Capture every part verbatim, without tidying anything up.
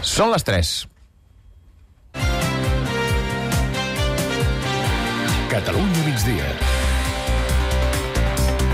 Són les tres. Catalunya migdia.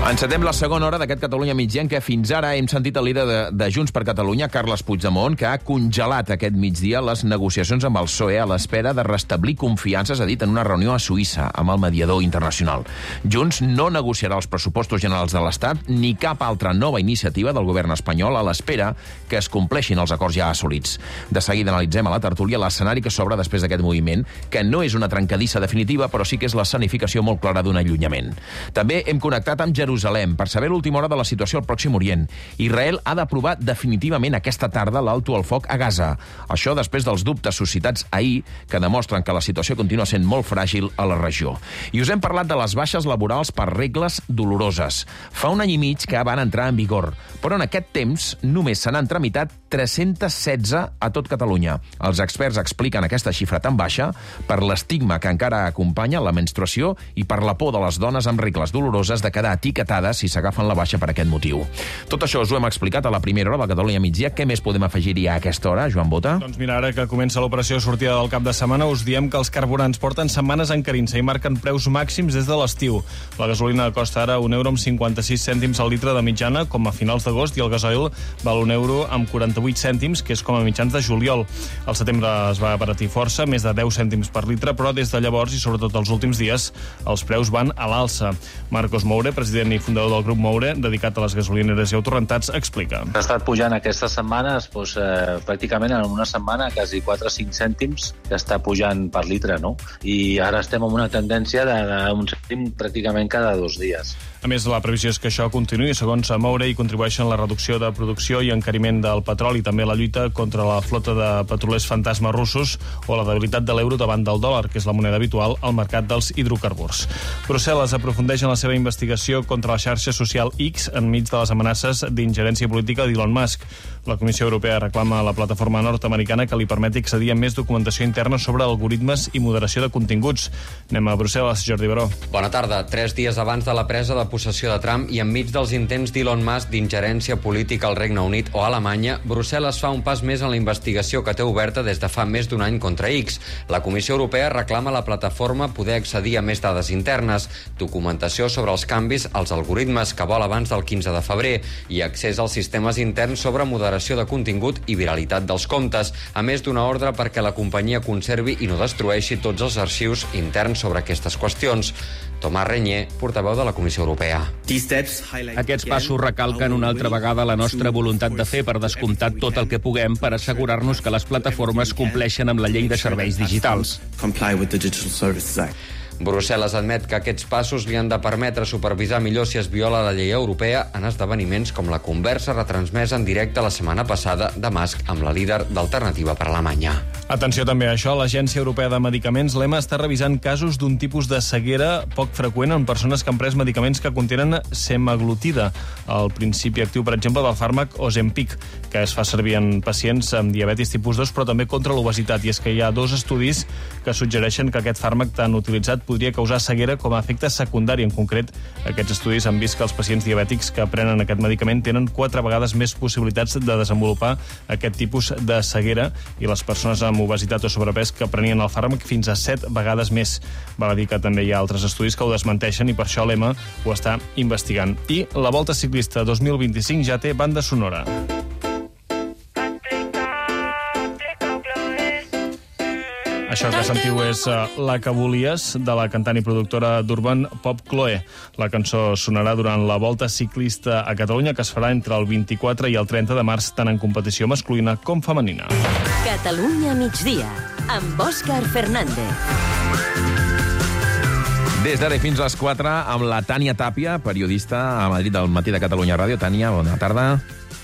Encetem la segona hora d'aquest Catalunya migdia en què fins ara hem sentit el líder de, de Junts per Catalunya, Carles Puigdemont, que ha congelat aquest migdia les negociacions amb el P S O E a l'espera de restablir confiances, ha dit, en una reunió a Suïssa amb el mediador internacional. Junts no negociarà els pressupostos generals de l'Estat ni cap altra nova iniciativa del govern espanyol a l'espera que es compleixin els acords ja assolits. De seguida analitzem a la tertúlia l'escenari que s'obre després d'aquest moviment, que no és una trencadissa definitiva, però sí que és l'escenificació molt clara d'un allunyament. També hem connectat amb Jerusalem per saber l'última hora de la situació al Pròxim Orient. Israel ha d'aprovar definitivament aquesta tarda l'alto al foc a Gaza. Això després dels dubtes suscitats ahir que demostren que la situació continua sent molt fràgil a la regió. I us hem parlat de les baixes laborals per regles doloroses. Fa un any i mig que van entrar en vigor, però en aquest temps només se n'han tramitat tres-cents setze a tot Catalunya. Els experts expliquen aquesta xifra tan baixa per l'estigma que encara acompanya la menstruació i per la por de les dones amb regles doloroses de quedar etiquetades si s'agafen la baixa per aquest motiu. Tot això us ho hem explicat a la primera hora de Catalunya migdia. Què més podem afegir-hi a aquesta hora, Joan Bota? Doncs mira, ara que comença l'operació de sortida del cap de setmana, us diem que els carburants porten setmanes encarint-se i marquen preus màxims des de l'estiu. La gasolina costa ara un euro amb cinquanta-sis cèntims al litre de mitjana, com a finals d'agost, i el gasoil val un euro amb quaranta-vuit cèntims, que és com a mitjans de juliol. Al setembre es va abaratir força, més de deu cèntims per litre, però des de llavors, i sobretot els últims dies, els preus van a l'alça. Marcos Moure, president i fundador del grup Moure, dedicat a les gasolineres i autorentats, explica. Ha estat pujant aquestes setmanes, doncs, eh, pràcticament en una setmana, quasi quatre o cinc cèntims que està pujant per litre, no? I ara estem en una tendència d'un cèntim pràcticament cada dos dies. A més, la previsió és que això continuï, segons Moure, i contribueixen la reducció de producció i encariment del petroli, també la lluita contra la flota de petrolers fantasma russos o la debilitat de l'euro davant del dòlar, que és la moneda habitual al mercat dels hidrocarburs. Brussel·les aprofundeix en la seva investigació contra la xarxa social X enmig de les amenaces d'ingerència política d'Elon Musk. La Comissió Europea reclama a la plataforma nord-americana que li permeti accedir a més documentació interna sobre algoritmes i moderació de continguts. Anem a Brussel·les, Jordi Baró. Bona tarda. Tres dies abans de la presa de possessió de Trump i enmig dels intents d'Elon Musk d'ingerència política al Regne Unit o Alemanya, Brussel·les fa un pas més en la investigació que té oberta des de fa més d'un any contra X. La Comissió Europea reclama a la plataforma poder accedir a més dades internes, documentació sobre els canvis als algoritmes que vol abans del quinze de febrer i accés als sistemes interns sobre moderació de contingut i viralitat dels comptes, a més d'una ordre perquè la companyia conservi i no destrueixi tots els arxius interns sobre aquestes qüestions. Tomàs Reñé, portaveu de la Comissió Europea. Aquests passos recalquen una altra vegada la nostra voluntat de fer, per descomptat, tot el que puguem per assegurar-nos que les plataformes compleixen amb la llei de serveis digitals. Brussel·les admet que aquests passos li han de permetre supervisar millor si es viola la llei europea en esdeveniments com la conversa retransmesa en directe la setmana passada de Musk amb la líder d'Alternativa per Alemanya. Atenció també a això, l'Agència Europea de Medicaments, l'E M A, està revisant casos d'un tipus de ceguera poc freqüent en persones que han pres medicaments que contenen semaglutida, el principi actiu, per exemple, del fàrmac Ozempic, que es fa servir en pacients amb diabetis tipus dos, però també contra l'obesitat. I és que hi ha dos estudis que suggereixen que aquest fàrmac tan utilitzat podria causar ceguera com a efecte secundari. En concret, aquests estudis han vist que els pacients diabètics que prenen aquest medicament tenen quatre vegades més possibilitats de desenvolupar aquest tipus de ceguera i les persones amb obesitat o sobrepès que prenien el fàrmac fins a set vegades més. Val a dir que també hi ha altres estudis que ho desmenteixen i per això l'E M A ho està investigant. I la Volta Ciclista dos mil vint-i-cinc ja té banda sonora. Això que sentiu és uh, La que volies, de la cantant i productora d'Urban Pop Chloe. La cançó sonarà durant la Volta Ciclista a Catalunya, que es farà entre el vint-i-quatre i el trenta de març, tant en competició masculina com femenina. Catalunya migdia, amb Òscar Fernández. Des d'ara fins a les quatre, amb la Tània Tàpia, periodista a Madrid del Matí de Catalunya Ràdio. Tània, bona tarda.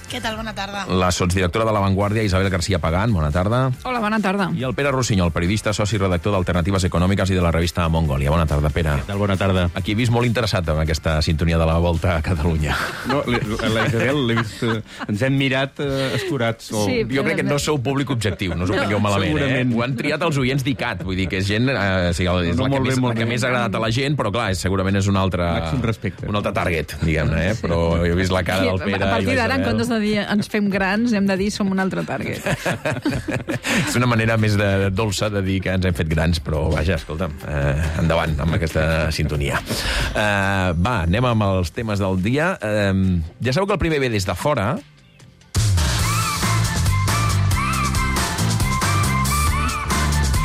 Què tal? Bona tarda. La sotsdirectora de La Vanguardia, Isabel García Pagán, bona tarda. Hola, bona tarda. I el Pere Rossinyol, periodista, soci i redactor d'Alternatives Econòmiques i de la revista Mongòlia. Bona tarda, Pere. Què tal? Bona tarda. Aquí he vist molt interessat en aquesta sintonia de la Volta a Catalunya. No, la Isabel l'he vist... Ens hem mirat eh, escurats. O... Sí, jo crec que no sou públic objectiu, no us ho prengueu malament, segurament. eh? Ho han triat els oients d'I C A T, vull dir que és gent... Eh, sí, és No, la, que molt bé, més, molt la que bé. més ha agradat a la gent, però clar, és, segurament és un altre... Màxim respecte. Un altre target, diguem-ne, eh? Però he vist la cara del Pere... A partir i la d'ara, en Isabel. comptes de de dir ens fem grans, hem de dir som un altre target. És una manera més de dolça de dir que ens hem fet grans, però vaja, escolta'm, eh, endavant amb aquesta sintonia. Eh, va, anem amb els temes del dia. Eh, ja sabeu que el primer ve des de fora.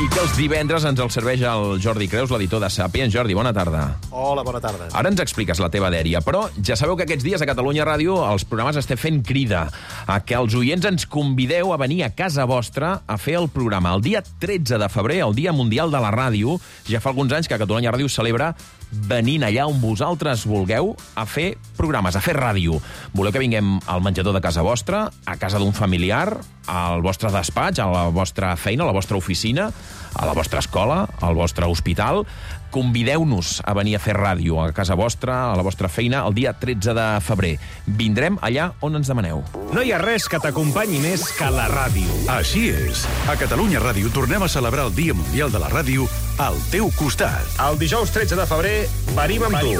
I que els divendres ens el serveix el Jordi Creus, l'editor de Sàpiens. Jordi, bona tarda. Hola, bona tarda. Ara ens expliques la teva dèria, però ja sabeu que aquests dies a Catalunya Ràdio els programes estem fent crida a que els oients ens convideu a venir a casa vostra a fer el programa. El dia tretze de febrer, el Dia Mundial de la Ràdio, ja fa alguns anys que Catalunya Ràdio celebra venint allà on vosaltres vulgueu a fer programes, a fer ràdio. Voleu que vinguem al menjador de casa vostra, a casa d'un familiar, al vostre despatx, a la vostra feina, a la vostra oficina, a la vostra escola, al vostre hospital. Convideu-nos a venir a fer ràdio a casa vostra, a la vostra feina, el dia tretze de febrer. Vindrem allà on ens demaneu. No hi ha res que t'acompanyi més que la ràdio. Així és. A Catalunya Ràdio tornem a celebrar el Dia Mundial de la Ràdio al teu costat. El dijous tretze de febrer venim amb tu.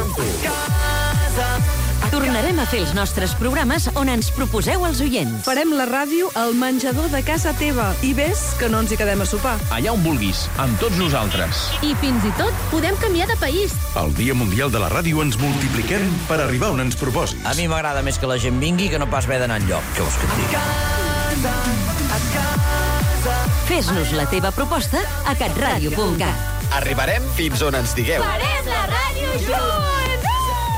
Tornarem a fer els nostres programes on ens proposeu els oients. Farem la ràdio al menjador de casa teva. I ves que no ens hi quedem a sopar. Allà on vulguis, amb tots nosaltres. I fins i tot podem canviar de país. El Dia Mundial de la Ràdio ens multipliquem per arribar on ens proposis. A mi m'agrada més que la gent vingui que no pas haver d'anar enlloc. Què vols que et digui? Fes-nos la teva proposta a catradio punt cat. Arribarem fins on ens digueu. Farem la ràdio junts!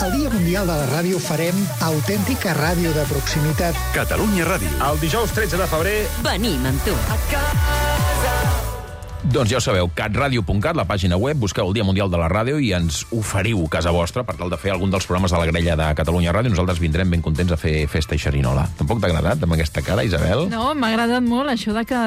El Dia Mundial de la Ràdio farem autèntica ràdio de proximitat. Catalunya Ràdio. El dijous tretze de febrer venim amb tu. Doncs ja ho sabeu, catradio punt cat, la pàgina web, busqueu el Dia Mundial de la Ràdio i ens oferiu casa vostra per tal de fer algun dels programes de la grella de Catalunya Ràdio. Nosaltres vindrem ben contents a fer festa i xerinola. Tampoc t'ha agradat amb aquesta cara, Isabel? No, m'ha agradat molt això de que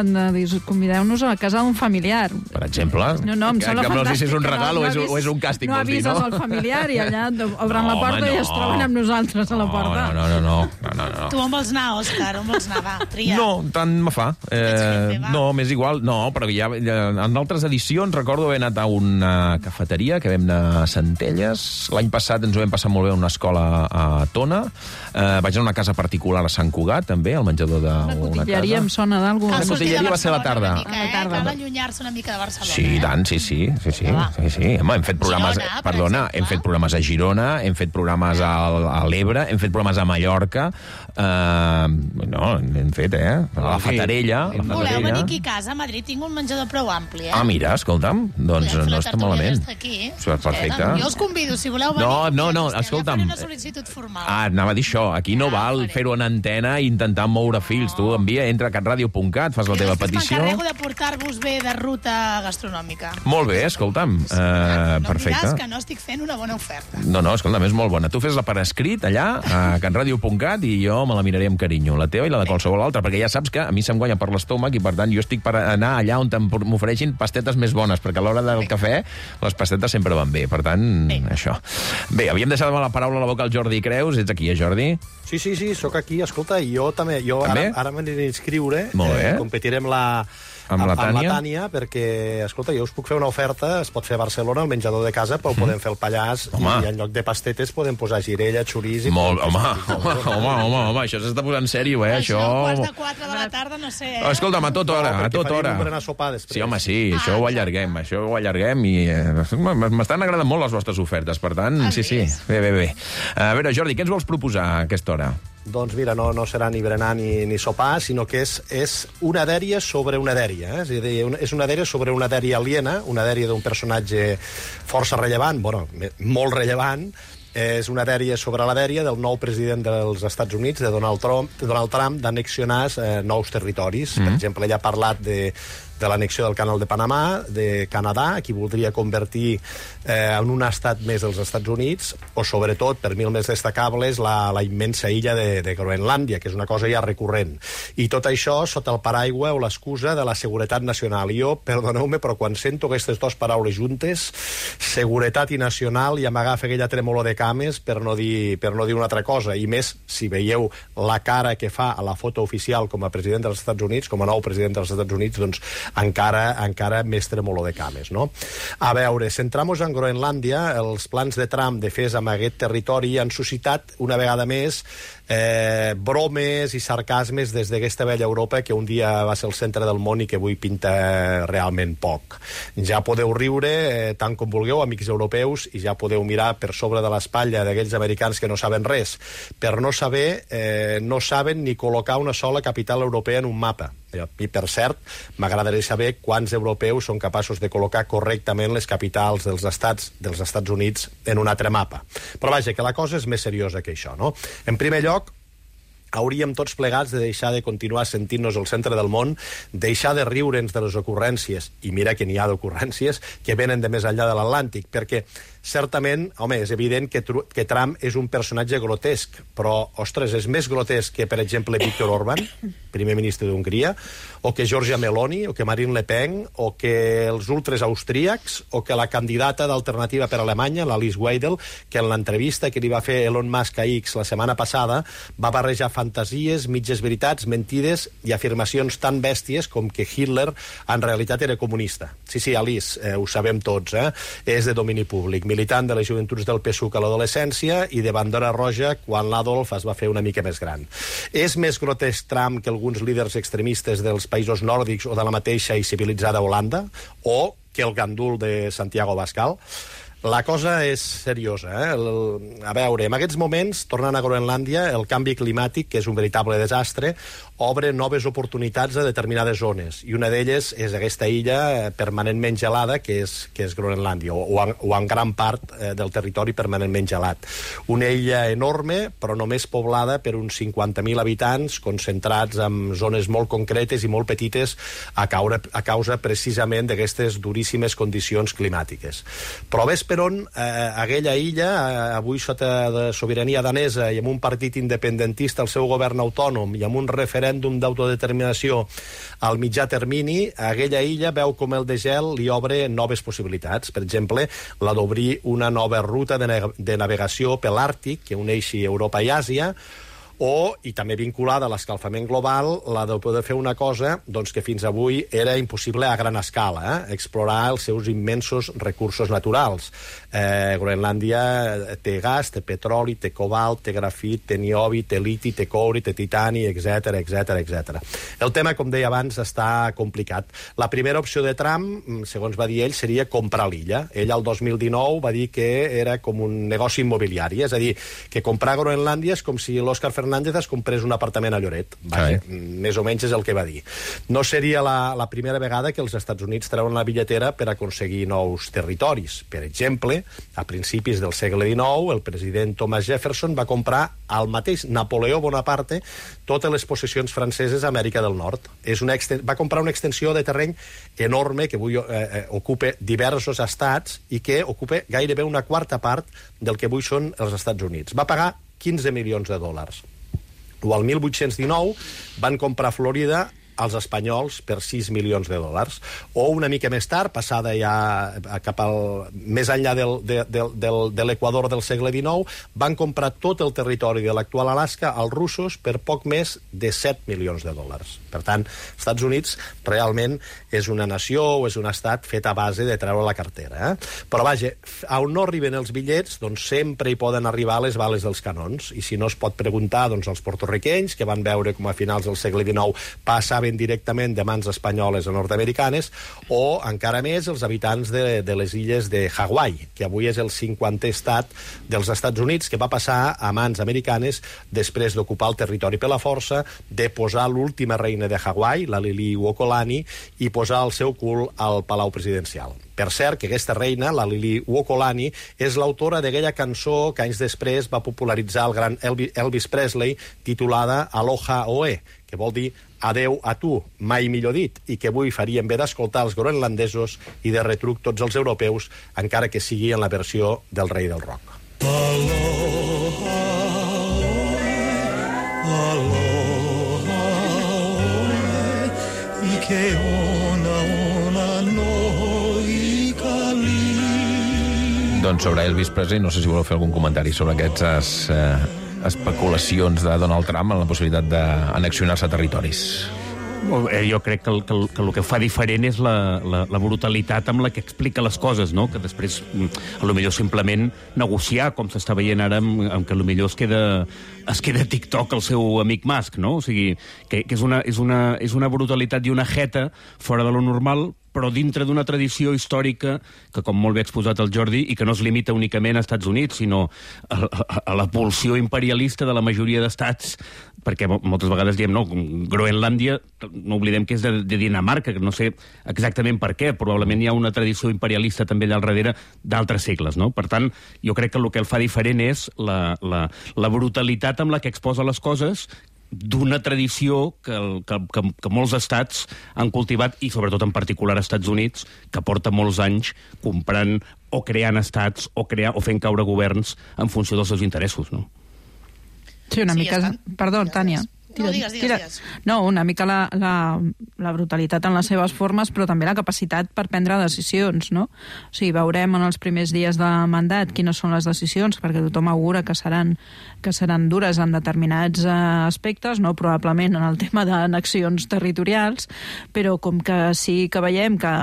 convideu-nos a la casa d'un familiar. Per exemple? No, no, em sembla que, que fantàstic. No sé si és un regal no, no o, és, avis, o és un càstig, no vols dir, no? avises al familiar i allà obren no, la porta home, i no. es troben amb nosaltres a la porta. No, no, no, no, no, no. Tu on vols anar, Òscar? On vols anar? Va, tria. No, tant me fa. Eh, no, m'és igual. No, però ja, ja en altres edicions recordo haver anat a una cafeteria que vam anar a Centelles. L'any passat ens ho vam passar molt bé a una escola a Tona. Eh, vaig anar a una casa particular a Sant Cugat, també, al menjador d'una casa. Una cotilleria em sona d'alguna cosa. La cotilleria va ser a la tarda. Mica, eh? Cal allunyar-se una mica de Barcelona. Sí, tant, sí, sí. sí, sí, sí, sí. Home, hem fet programes... Girona, perdona, hem fet programes a Girona, hem fet programes a, a l'Ebre, hem fet programes a Mallorca. Uh, no, hem fet, eh? A la Fatarella. La Voleu venir aquí a casa? A Madrid tinc un menjador prou ampli, eh? Ah, mira, escolta'm, doncs no està malament. Aquí. Perfecte. Jo us convido, si voleu venir... No, no, no, escolta'm. Ja faré una sol·licitud formal. Ah, anava a dir això. Aquí no val fer-ho en antena i intentar moure fils. Tu envia, entra a catradio punt cat, fas la teva petició. M'encarrego de portar-vos bé de ruta gastronòmica. Molt bé, escolta'm. Uh, no perfecte. em diràs que no estic fent una bona oferta. No, no, escolta'm, és molt bona. Tu fes-la per escrit allà, a catradio punt cat, i jo me la miraré amb carinyo. La teva i la de qualsevol altra, perquè ja saps que a mi se'm guanya per l'estómac i, per tant, jo estic per anar allà on m'ofereixin pastetes més bones, perquè a l'hora del bé. Cafè les pastetes sempre van bé. Per tant, bé. això. Bé, havíem deixat la paraula a la boca al Jordi Creus. Ets aquí, eh, Jordi? Sí, sí, sí, sóc aquí. Escolta, jo també. Jo també? ara, ara m'aniré a inscriure. Molt bé. Eh, competirem la... Amb la Tània? Amb la Tània, perquè, escolta, jo us puc fer una oferta, es pot fer a Barcelona, al menjador de casa, però mm. podem fer el Pallars, home. I en lloc de pastetes podem posar girella, xoriç... Molt, home, home, home, home, home, això s'està posant sèrio, eh, això... Això, quarts de quatre de la tarda, no sé... Eh? Escolta'm, a tota hora, no, a tota hora. No, sopar després. Sí, home, sí, ah, això ho allarguem, això ho allarguem i... Eh, m'estan agradant molt les vostres ofertes, per tant, sí, sí, bé, bé, bé. A veure, Jordi, què ens vols proposar a aquesta hora? Doncs mira, no, no serà ni berenar ni, ni sopar, sinó que és, és una dèria sobre una dèria. Eh? És, a dir, una, és una dèria sobre una dèria aliena, una dèria d'un personatge força rellevant, bueno, molt rellevant. És una dèria sobre la dèria del nou president dels Estats Units, de Donald Trump, de Donald Trump d'annexionar eh, nous territoris. Mm-hmm. Per exemple, ell ha parlat de, de l'annexió del Canal de Panamà, de Canadà, qui voldria convertir eh, en un estat més dels Estats Units, o sobretot, per mi el més destacable, és la, la immensa illa de, de Groenlàndia, que és una cosa ja recurrent. I tot això sota el paraigua o l'excusa de la seguretat nacional. I jo, perdoneu-me, però quan sento aquestes dues paraules juntes, seguretat i nacional, ja m'agafa aquella tremolor de cames per no dir, per no dir una altra cosa. I més, si veieu la cara que fa a la foto oficial com a president dels Estats Units, com a nou president dels Estats Units, doncs encara, encara més tremolor de cames, no? A veure, centramos en Groenlàndia, els plans de Trump de fer amb aquest territori han suscitat una vegada més eh, bromes i sarcasmes des d'aquesta vella Europa que un dia va ser el centre del món i que avui pinta realment poc. Ja podeu riure eh, tant com vulgueu, amics europeus, i ja podeu mirar per sobre de l'espatlla d'aquells americans que no saben res. Per no saber, eh, no saben ni col·locar una sola capital europea en un mapa. I, per cert, m'agradaria saber quants europeus són capaços de col·locar correctament les capitals dels estats dels Estats Units en un altre mapa. Però vaja, que la cosa és més seriosa que això, no? En primer lloc, hauríem tots plegats de deixar de continuar sentint-nos al centre del món, deixar de riure'ns de les ocurrències, i mira que n'hi ha d'ocurrències que venen de més enllà de l'Atlàntic, perquè certament, home, és evident que, que Trump és un personatge grotesc, però, ostres, és més grotesc que, per exemple, Viktor Orbán, primer ministre d'Hongria, o que Giorgia Meloni, o que Marine Le Pen, o que els ultres austríacs, o que la candidata d'Alternativa per Alemanya, l'Alice Weidel, que en l'entrevista que li va fer Elon Musk a X la setmana passada va barrejar fantasies, mitges veritats, mentides i afirmacions tan bèsties com que Hitler en realitat era comunista. Sí, sí, Alice, eh, ho sabem tots, eh? És de domini públic. Militant de les joventuts del P S U C a l'adolescència i de bandera roja quan l'Adolf es va fer una mica més gran. És més grotesc Trump que alguns líders extremistes dels països nòrdics o de la mateixa i civilitzada Holanda, o que el gandul de Santiago Abascal? La cosa és seriosa, eh? El, a veure, en aquests moments, tornant a Groenlàndia, el canvi climàtic, que és un veritable desastre, obre noves oportunitats a determinades zones, i una d'elles és aquesta illa permanentment gelada, que és, que és Groenlàndia, o, o, en, o en gran part eh, del territori permanentment gelat. Una illa enorme, però només poblada per uns cinquanta mil habitants, concentrats en zones molt concretes i molt petites a, caure, a causa precisament d'aquestes duríssimes condicions climàtiques. Però ves per on eh, aquella illa, eh, avui sota de sobirania danesa i amb un partit independentista al seu govern autònom i amb un referèndum d'autodeterminació al mitjà termini, aquella illa veu com el degel li obre noves possibilitats. Per exemple, la d'obrir una nova ruta de, de navegació per l'Àrtic que uneixi Europa i Àsia, o, i també vinculada a l'escalfament global, la de poder fer una cosa doncs, que fins avui era impossible a gran escala, eh? Explorar els seus immensos recursos naturals. Eh, Groenlàndia té gas, té petroli, té cobalt, té grafit, té niobi, té liti, té coure, té titani, etcètera, etcètera, etcètera. El tema, com deia abans, està complicat. La primera opció de Trump, segons va dir ell, seria comprar l'illa. Ell, el dos mil dinou, va dir que era com un negoci immobiliari, és a dir, que comprar Groenlàndia és com si l'Òscar Fernández es comprés un apartament a Lloret. Vaja, sí. Més o menys és el que va dir. No seria la, la primera vegada que els Estats Units treuen la billetera per aconseguir nous territoris. Per exemple, a principis del segle dinou, el president Thomas Jefferson va comprar al mateix Napoleó Bonaparte totes les possessions franceses a Amèrica del Nord. És una exten... Va comprar una extensió de terreny enorme que avui eh, ocupa diversos estats i que ocupa gairebé una quarta part del que avui són els Estats Units. Va pagar quinze milions de dòlars. O al mil vuit-cents dinou van comprar Florida als espanyols per sis milions de dòlars. O una mica més tard, passada ja cap al, més enllà del, de, del, del, de l'Equador del segle dinou, van comprar tot el territori de l'actual Alaska als russos per poc més de set milions de dòlars. Per tant, els Estats Units realment és una nació o és un estat fet a base de treure la cartera. Eh? Però vaja, on no arriben els bitllets, doncs sempre hi poden arribar les bales dels canons. I si no es pot preguntar doncs, als porto-riquenys, que van veure com a finals del segle dinou passaven directament de mans espanyoles a nord-americanes, o encara més els habitants de, de les illes de Hawaii, que avui és el cinquantè estat dels Estats Units, que va passar a mans americanes després d'ocupar el territori per la força, de posar l'última reina de Hawaii, la Liliuokalani, i posar el seu cul al Palau Presidencial. Per cert, que aquesta reina, la Liliuokalani, és l'autora d'aquella cançó que anys després va popularitzar el gran Elvis Presley, titulada Aloha Oe, que vol dir adeu a tu, mai millor dit, i que avui farien bé d'escoltar els groenlandesos i de retruc tots els europeus, encara que sigui en la versió del rei del rock. Aloha, aloha, i que ona, ona, no i cali. Doncs sobre Elvis Presley, no sé si voleu fer algun comentari sobre aquestes eh, especulacions de Donald Trump en la possibilitat d'annexionar-se territoris. Jo crec que el que, el, que el que fa diferent és la, la, la brutalitat amb la que explica les coses, no? Que després, a lo millor simplement negociar, com s'està veient ara, amb, amb que a lo millor es queda, es queda a TikTok el seu amic Musk, no? O sigui, que, que és, una, és, una, és una brutalitat i una jeta fora de lo normal, però dintre d'una tradició històrica que, com molt bé ha exposat el Jordi, i que no es limita únicament als Estats Units, sinó a, a, a la pulsió imperialista de la majoria d'estats, perquè moltes vegades diem, no, Groenlàndia, no oblidem que és de, de Dinamarca, que no sé exactament per què, probablement hi ha una tradició imperialista també allà al darrere d'altres segles, no? Per tant, jo crec que el que el fa diferent és la, la, la brutalitat amb la que exposa les coses, d'una tradició que, el, que, que, que molts estats han cultivat, i sobretot en particular als Estats Units, que porta molts anys comprant o creant estats o, crear, o fent caure governs en funció dels seus interessos, no? Sí, una Sí, mica... estan- Perdó, Tània. No, digues, digues, tira. digues. No, una mica la, la, la brutalitat en les seves formes, però també la capacitat per prendre decisions, no? O sigui, veurem en els primers dies de mandat quines són les decisions, perquè tothom augura que seran, que seran dures en determinats eh, aspectes, no? Probablement en el tema d'annexions territorials, però com que sí que veiem que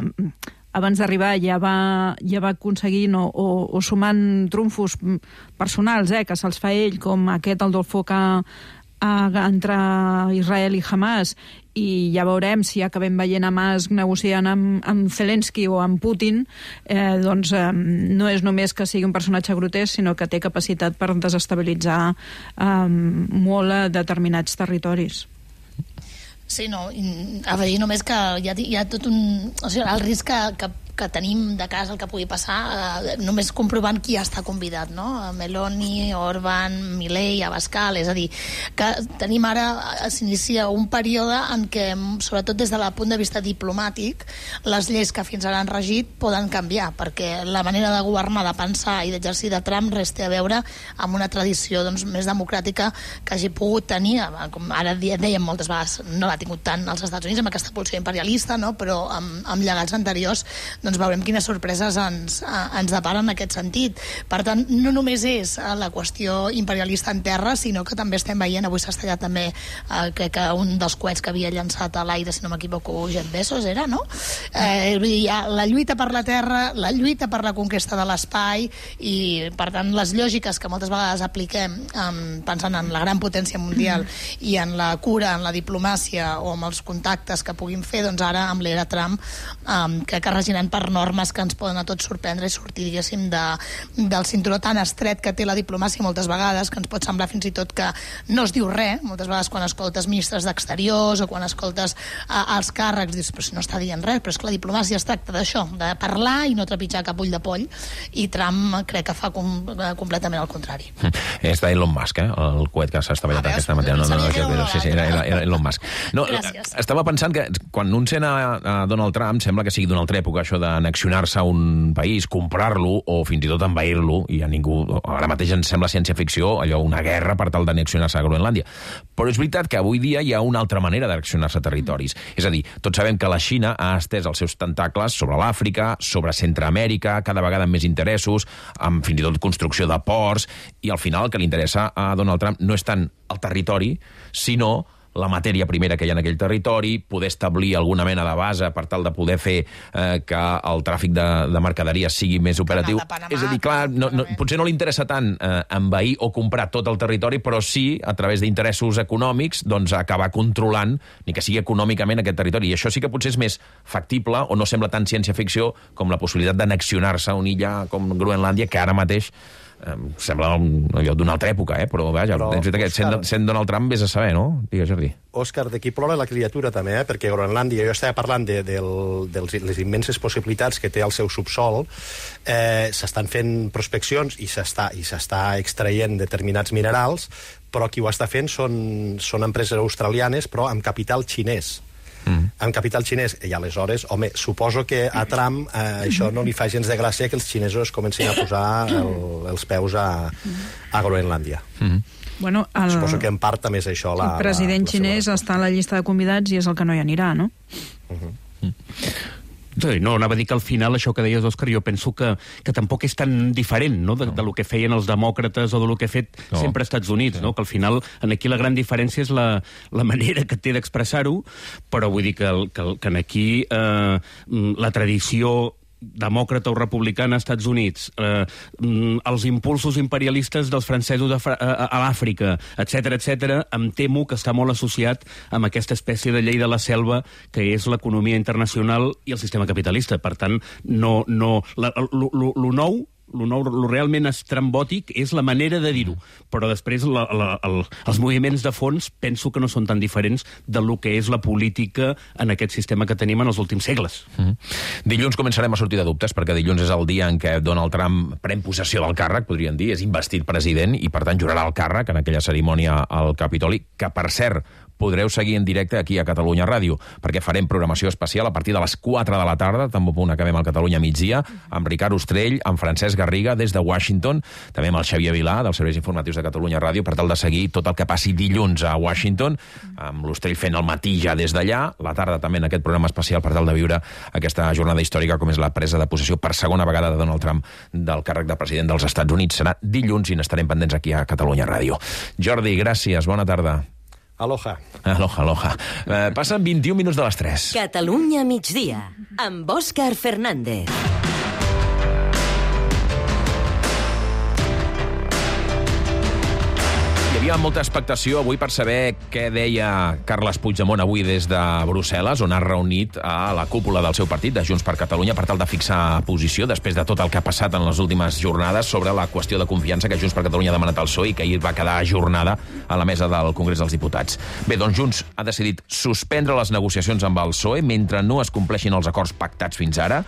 abans d'arribar ja va, ja va aconseguint o, o, o sumant trumfos personals, eh, que se'ls fa ell, com aquest, el del foc a, a, entre Israel i Hamas, i ja veurem si acabem veient Hamas negociant amb, amb Zelensky o amb Putin, eh, doncs eh, no és només que sigui un personatge grotesc, sinó que té capacitat per desestabilitzar eh, molt a determinats territoris. Sí, no, afegir només que hi ha, hi ha tot un... O sigui, el risc que, que, que tenim de cas el que pugui passar, eh, només comprovant qui està convidat, no? Meloni, Orbán, Milei, Abascal, és a dir, que tenim ara, s'inicia un període en què, sobretot des del punt de vista diplomàtic, les lleis que fins ara han regit poden canviar, perquè la manera de governar, de pensar i d'exercir de Trump res té a veure amb una tradició doncs, més democràtica que hagi pogut tenir, com ara dèiem moltes vegades, no l'ha tingut tant als Estats Units amb aquesta pulsió imperialista, no? Però amb, amb llegats anteriors doncs veurem quines sorpreses ens, ens deparen en aquest sentit. Per tant, no només és la qüestió imperialista en terra, sinó que també estem veient, avui s'ha estallat també eh, que, que un dels coets que havia llançat a l'aire, si no m'equivoco, Jeff Bezos era, no? Eh, vull dir, hi ha la lluita per la terra, la lluita per la conquesta de l'espai, i per tant les lògiques que moltes vegades apliquem eh, pensant en la gran potència mundial i en la cura, en la diplomàcia o amb els contactes que puguin fer, doncs ara amb l'era Trump um, crec que regiran per normes que ens poden a tots sorprendre i sortir, diguéssim, de, del cinturó tan estret que té la diplomàcia moltes vegades, que ens pot semblar fins i tot que no es diu res, moltes vegades quan escoltes ministres d'exteriors o quan escoltes uh, els càrrecs, dius, però si no està dient res, però és que la diplomàcia es tracta d'això, de parlar i no trepitjar cap ull de poll, i Trump crec que fa com, uh, completament el contrari. És d'Elon Musk, eh? El coet que s'ha estavellat Ah, veus? aquesta matèria. No, no, no, no, no, sí, sí, era, era Elon Musk. No, Gràcies. estava pensant que quan un sent a, a Donald Trump sembla que sigui d'una altra època, això d'annexionar-se a un país, comprar-lo o fins i tot envair-lo, i a ningú... Ara mateix ens sembla ciència-ficció, allò, una guerra per tal d'annexionar-se a Groenlàndia. Però és veritat que avui dia hi ha una altra manera d'annexionar-se a territoris. És a dir, tots sabem que la Xina ha estès els seus tentacles sobre l'Àfrica, sobre Centreamèrica, cada vegada amb més interessos, amb fins i tot construcció de ports, i al final el que li interessa a Donald Trump no és tant el territori, sinó la matèria primera que hi ha en aquell territori, poder establir alguna mena de base per tal de poder fer eh, que el tràfic de, de mercaderies sigui més operatiu. Panamà, és a dir, clar, no, no, potser no li interessa tant eh, envair o comprar tot el territori, però sí, a través d'interessos econòmics, doncs acabar controlant, ni que sigui econòmicament, aquest territori. I això sí que potser és més factible, o no sembla tan ciència-ficció, com la possibilitat d'annexionar-se a una illa com Groenlàndia, que ara mateix Em sembla un, allò d'una altra època, eh? Però, vaja, però, que, sent, sent Donald Trump, vés a saber, no? Digues, Jordi. Òscar, d'aquí plora la criatura, també, eh? Perquè Groenlàndia, jo estava parlant de, de, de les immenses possibilitats que té el seu subsol, eh, s'estan fent prospeccions i s'està i s'està extraient determinats minerals, però qui ho està fent són, són empreses australianes, però amb capital xinès. Mm. amb capital xinès, i aleshores, home, suposo que a Trump eh, això no li fa gens de gràcia que els xinesos comencin a posar el, els peus a, a Groenlàndia. Mm. Bueno, el... Suposo que en part també és això la... El president la, la xinès està a la llista de convidats i és el que no hi anirà, no? Uh-huh. Mm. No, anava a dir que al final això que deies, Òscar, jo penso que, que tampoc és tan diferent, no?, de, de lo que feien els demòcrates o de lo que ha fet no. sempre als Estats Units, sí. no?, que al final aquí la gran diferència és la, la manera que té d'expressar-ho, però vull dir que, que, que aquí eh, la tradició demòcrata o republicana als Estats Units, eh, els impulsos imperialistes dels francesos a, a, a l'Àfrica, etcètera, etcètera, em temo que està molt associat amb aquesta espècie de llei de la selva que és l'economia internacional i el sistema capitalista. Per tant, no, no, la, lo, lo, lo nou el nou, lo realment estrambòtic és la manera de dir-ho, però després la, la, el, els moviments de fons penso que no són tan diferents de lo que és la política en aquest sistema que tenim en els últims segles. Mm-hmm. Dilluns començarem a sortir de dubtes, perquè dilluns és el dia en què Donald Trump pren possessió del càrrec, podríem dir, és investit president i per tant jurarà el càrrec en aquella cerimònia al Capitoli, que per cert podreu seguir en directe aquí a Catalunya Ràdio, perquè farem programació especial a partir de les quatre de la tarda, també punt acabem al Catalunya migdia, amb Ricard Ostrell, amb Francesc Garriga des de Washington, també amb el Xavier Vilà, dels Serveis Informatius de Catalunya Ràdio, per tal de seguir tot el que passi dilluns a Washington, amb l'Ostrell fent el matí ja des d'allà, la tarda també en aquest programa especial per tal de viure aquesta jornada històrica com és la presa de possessió per segona vegada de Donald Trump del càrrec de president dels Estats Units. Serà dilluns i n'estarem pendents aquí a Catalunya Ràdio. Jordi, gràcies, bona tarda. Aloha. Aloha, aloha. Eh, passen vint-i-un minuts de les tres. Catalunya migdia, amb Òscar Fernández. Hi havia molta expectació avui per saber què deia Carles Puigdemont avui des de Brussel·les, on ha reunit a la cúpula del seu partit, de Junts per Catalunya, per tal de fixar posició després de tot el que ha passat en les últimes jornades sobre la qüestió de confiança que Junts per Catalunya ha demanat al P S O E i que ahir va quedar ajornada a la mesa del Congrés dels Diputats. Bé, doncs Junts ha decidit suspendre les negociacions amb el P S O E mentre no es compleixin els acords pactats fins ara.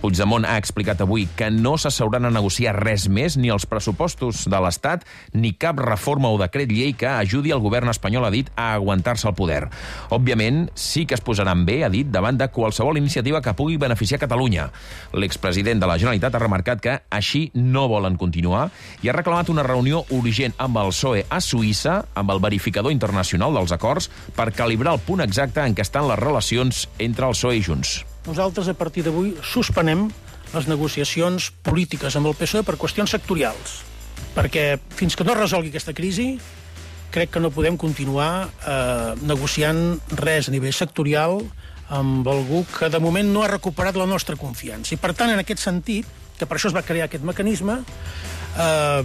Puigdemont ha explicat avui que no s'asseuran a negociar res més, ni els pressupostos de l'Estat, ni cap reforma o decret llei que ajudi el govern espanyol, ha dit, a aguantar-se al poder. Òbviament, sí que es posaran bé, ha dit, davant de qualsevol iniciativa que pugui beneficiar Catalunya. L'expresident de la Generalitat ha remarcat que així no volen continuar i ha reclamat una reunió urgent amb el P S O E a Suïssa, amb el verificador internacional dels acords, per calibrar el punt exacte en què estan les relacions entre el P S O E i Junts. Nosaltres, a partir d'avui, suspenem les negociacions polítiques amb el P S O E per qüestions sectorials, perquè fins que no es resolgui aquesta crisi crec que no podem continuar eh, negociant res a nivell sectorial amb algú que de moment no ha recuperat la nostra confiança. I per tant, en aquest sentit, que per això es va crear aquest mecanisme, eh,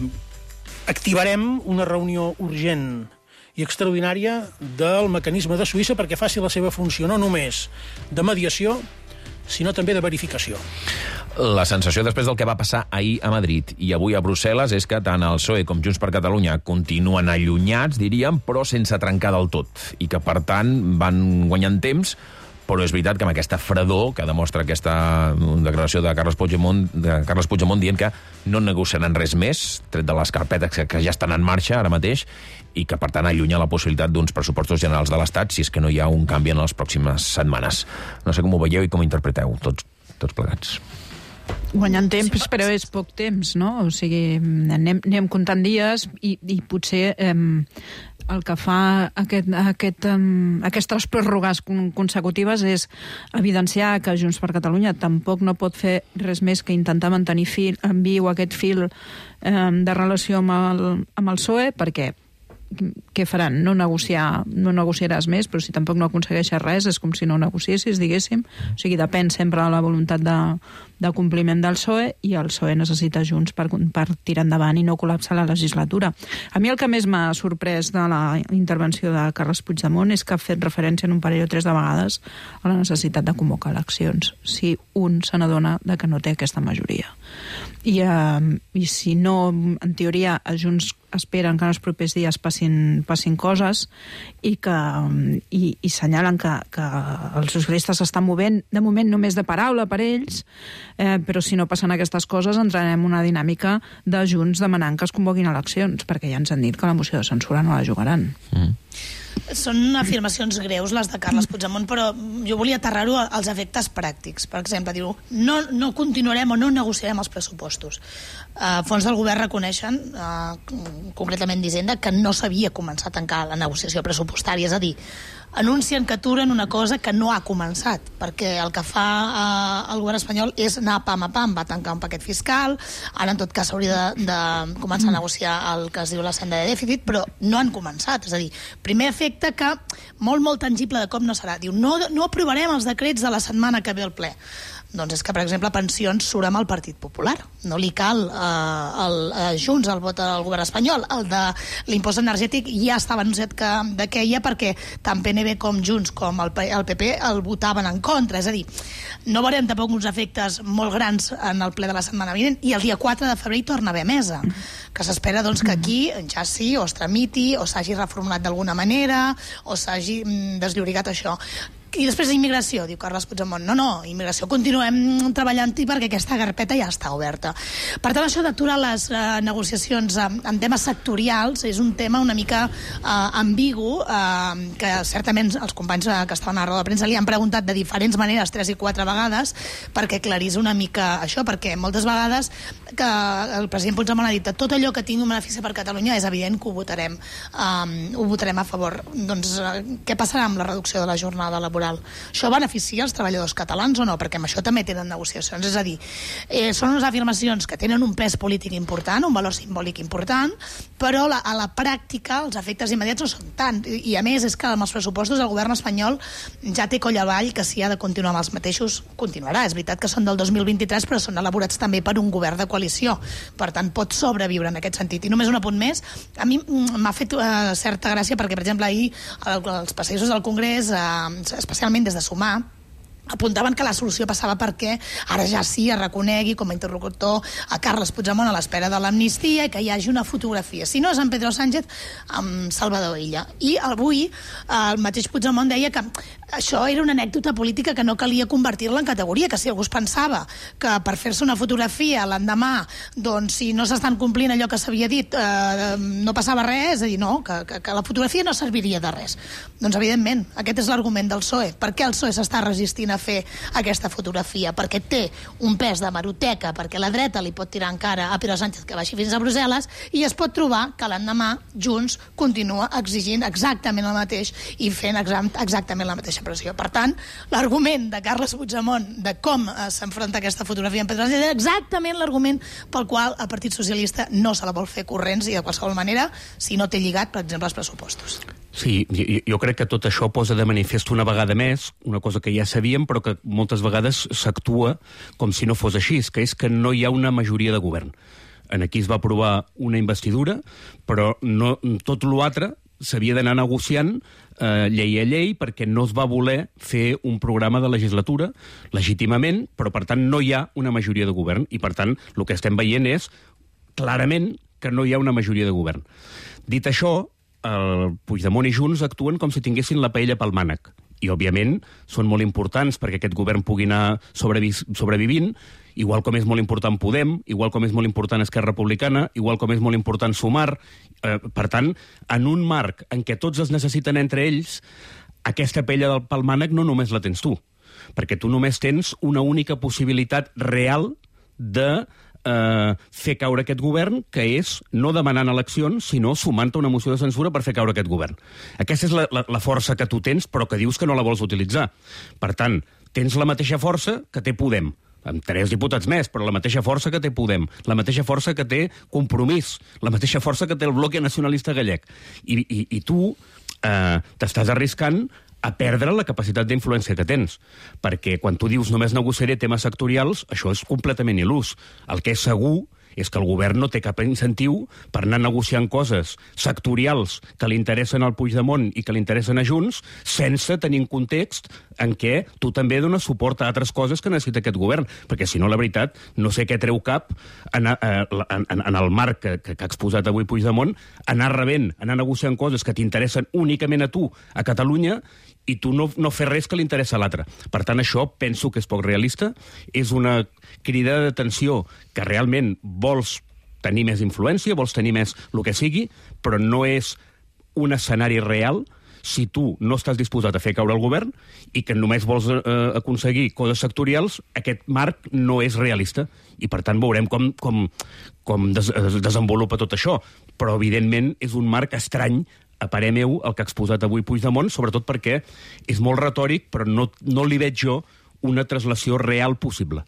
activarem una reunió urgent i extraordinària del mecanisme de Suïssa perquè faci la seva funció no només de mediació, sinó també de verificació. La sensació després del que va passar ahir a Madrid i avui a Brussel·les és que tant el P S O E com Junts per Catalunya continuen allunyats, diríem, però sense trencar del tot, i que, per tant, van guanyant temps, però és veritat que amb aquesta fredor que demostra aquesta declaració de Carles Puigdemont, de Carles Puigdemont dient que no negociaran res més, tret de les carpetes que, que ja estan en marxa ara mateix, i que, per tant, allunya la possibilitat d'uns pressupostos generals de l'Estat si és que no hi ha un canvi en les pròximes setmanes. No sé com ho veieu i com ho interpreteu, tots, tots plegats. Guanyant temps, però és poc temps, no? O sigui, anem, anem comptant dies i, i potser eh, el que fa aquest, aquest, um, aquestes pròrrogues consecutives és evidenciar que Junts per Catalunya tampoc no pot fer res més que intentar mantenir fil, en viu aquest fil eh, de relació amb el, amb el P S O E, perquè què faran? No negociar, no negociaràs més, però si tampoc no aconsegueixes res és com si no negociessis, diguéssim. O sigui, depèn sempre de la voluntat de, de compliment del P S O E, i el P S O E necessita Junts per, per tirar endavant i no col·lapsar la legislatura. A mi el que més m'ha sorprès de la intervenció de Carles Puigdemont és que ha fet referència en un parell o tres de vegades a la necessitat de convocar eleccions, si un se n'adona de que no té aquesta majoria. I, eh, i si no, en teoria, a Junts esperen que en els propers dies passin, passin coses i que i, i senyalen que, que els socialistes s'estan movent, de moment només de paraula per ells, eh, però si no passen aquestes coses entrarem en una dinàmica de Junts demanant que es convoquin eleccions, perquè ja ens han dit que la moció de censura no la jugaran. Mm. Són afirmacions greus, les de Carles Puigdemont, però jo volia aterrar-ho als efectes pràctics. Per exemple, diu, no, no continuarem o no negociarem els pressupostos. Uh, fons del govern reconeixen, uh, concretament d'Hisenda, que no s'havia començat a tancar la negociació pressupostària, és a dir, anuncien que aturen una cosa que no ha començat, perquè el que fa eh, el govern espanyol és anar pam a pam, va tancar un paquet fiscal, ara en tot cas s'hauria de, de començar a negociar el que es diu la senda de dèficit, però no han començat, és a dir, primer efecte que molt, molt tangible de com no serà. Diu, no, no aprovarem els decrets de la setmana que ve al ple. Doncs és que, per exemple, pensions surt amb el Partit Popular. No li cal eh, el, eh, Junts el vot al govern espanyol. El de l'impost energètic ja estava anunciat que, de què hi ha, perquè tant P N B com Junts com el, el P P el votaven en contra. És a dir, no veurem tampoc uns efectes molt grans en el ple de la setmana vinent, i el dia quatre de febrer hi torna a haver mesa, que s'espera doncs, que aquí ja sí, o es tramiti, o s'hagi reformulat d'alguna manera, o s'hagi mm, desllorigat això. I després immigració, diu Carles Puigdemont. No, no, immigració continuem treballant-hi perquè aquesta carpeta ja està oberta. Per tant, això d'aturar les eh, negociacions en, en temes sectorials és un tema una mica eh, ambigu, eh, que certament els companys eh, que estaven a la roda de premsa li han preguntat de diferents maneres, tres i quatre vegades, perquè aclarís una mica això, perquè moltes vegades que el president Puigdemont ha dit que tot allò que tingui un benefici per Catalunya és evident que ho votarem, eh, ho votarem a favor. Doncs eh, què passarà amb la reducció de la jornada laboral? Això beneficia els treballadors catalans o no? Perquè amb això també tenen negociacions. És a dir, eh, són unes afirmacions que tenen un pes polític important, un valor simbòlic important, però la, a la pràctica els efectes immediats no són tant. I, i a més és que amb els pressupostos el govern espanyol ja té coll avall que si ha de continuar amb els mateixos, continuarà. És veritat que són del dos mil vint-i-tres, però són elaborats també per un govern de coalició. Per tant, pot sobreviure en aquest sentit. I només un apunt més. A mi m'ha fet eh, certa gràcia perquè, per exemple, ahir els passadissos del Congrés, eh, especialment des de Sumar, apuntaven que la solució passava perquè ara ja sí es reconegui com a interlocutor a Carles Puigdemont a l'espera de l'amnistia i que hi hagi una fotografia. Si no és en Pedro Sánchez, amb Salvador Illa. I avui el mateix Puigdemont deia que això era una anècdota política que no calia convertir-la en categoria, que si algú es pensava que per fer-se una fotografia l'endemà, doncs si no s'estan complint allò que s'havia dit, eh, no passava res, és a dir, no, que, que, que la fotografia no serviria de res. Doncs evidentment, aquest és l'argument del P S O E. Per què el P S O E s'està resistint a fer aquesta fotografia? Perquè té un pes de hemeroteca, perquè la dreta li pot tirar encara a Pedro Sánchez que baixi fins a Brussel·les, i es pot trobar que l'endemà Junts continua exigint exactament el mateix i fent exactament la mateixa pressió. Per tant, l'argument de Carles Puigdemont de com eh, s'enfronta aquesta fotografia amb Pedro Sánchez és exactament l'argument pel qual el Partit Socialista no se la vol fer corrents i de qualsevol manera si no té lligat, per exemple, els pressupostos. Sí, jo, jo crec que tot això posa de manifest una vegada més, una cosa que ja sabíem però que moltes vegades s'actua com si no fos així, que és que no hi ha una majoria de govern. En aquí es va aprovar una investidura, però no, tot l'altre s'havia d'anar negociant eh, llei a llei perquè no es va voler fer un programa de legislatura legítimament, però per tant no hi ha una majoria de govern i per tant el que estem veient és clarament que no hi ha una majoria de govern. Dit això, el Puigdemont i Junts actuen com si tinguessin la paella pel mànec i, òbviament, són molt importants perquè aquest govern pugui anar sobrevi sobrevivint, igual com és molt important Podem, igual com és molt important Esquerra Republicana, igual com és molt important Sumar. Eh, per tant, en un marc en què tots es necessiten entre ells, aquesta paella del pel mànec no només la tens tu, perquè tu només tens una única possibilitat real de eh, fer caure aquest govern, que és no demanant eleccions, sinó sumant-te una moció de censura per fer caure aquest govern. Aquesta és la, la, la força que tu tens, però que dius que no la vols utilitzar. Per tant, tens la mateixa força que té Podem, amb tres diputats més, però la mateixa força que té Podem, la mateixa força que té Compromís, la mateixa força que té el Bloc Nacionalista Gallec. I, i, i tu eh, t'estàs arriscant a perdre la capacitat d'influència que tens. Perquè quan tu dius només negociaré temes sectorials, això és completament il·lús. El que és segur és que el govern no té cap incentiu per anar negociant coses sectorials que li interessen al Puigdemont i que li interessen a Junts, sense tenir en context en què tu també dones suport a altres coses que necessita aquest govern. Perquè, si no, la veritat, no sé què treu cap en, en, en, en el marc que, que ha exposat avui Puigdemont, anar rebent, anar negociant coses que t'interessen únicament a tu, a Catalunya, i tu no, no fer res que li interessa a l'altre. Per tant, això penso que és poc realista, és una crida d'atenció que realment vols tenir més influència, vols tenir més el que sigui, però no és un escenari real si tu no estàs disposat a fer caure el govern i que només vols eh, aconseguir coses sectorials, aquest marc no és realista. I, per tant, veurem com, com, com des, es desenvolupa tot això. Però, evidentment, és un marc estrany a parer meu, el que ha exposat avui Puigdemont, sobretot perquè és molt retòric, però no, no li veig jo una translació real possible.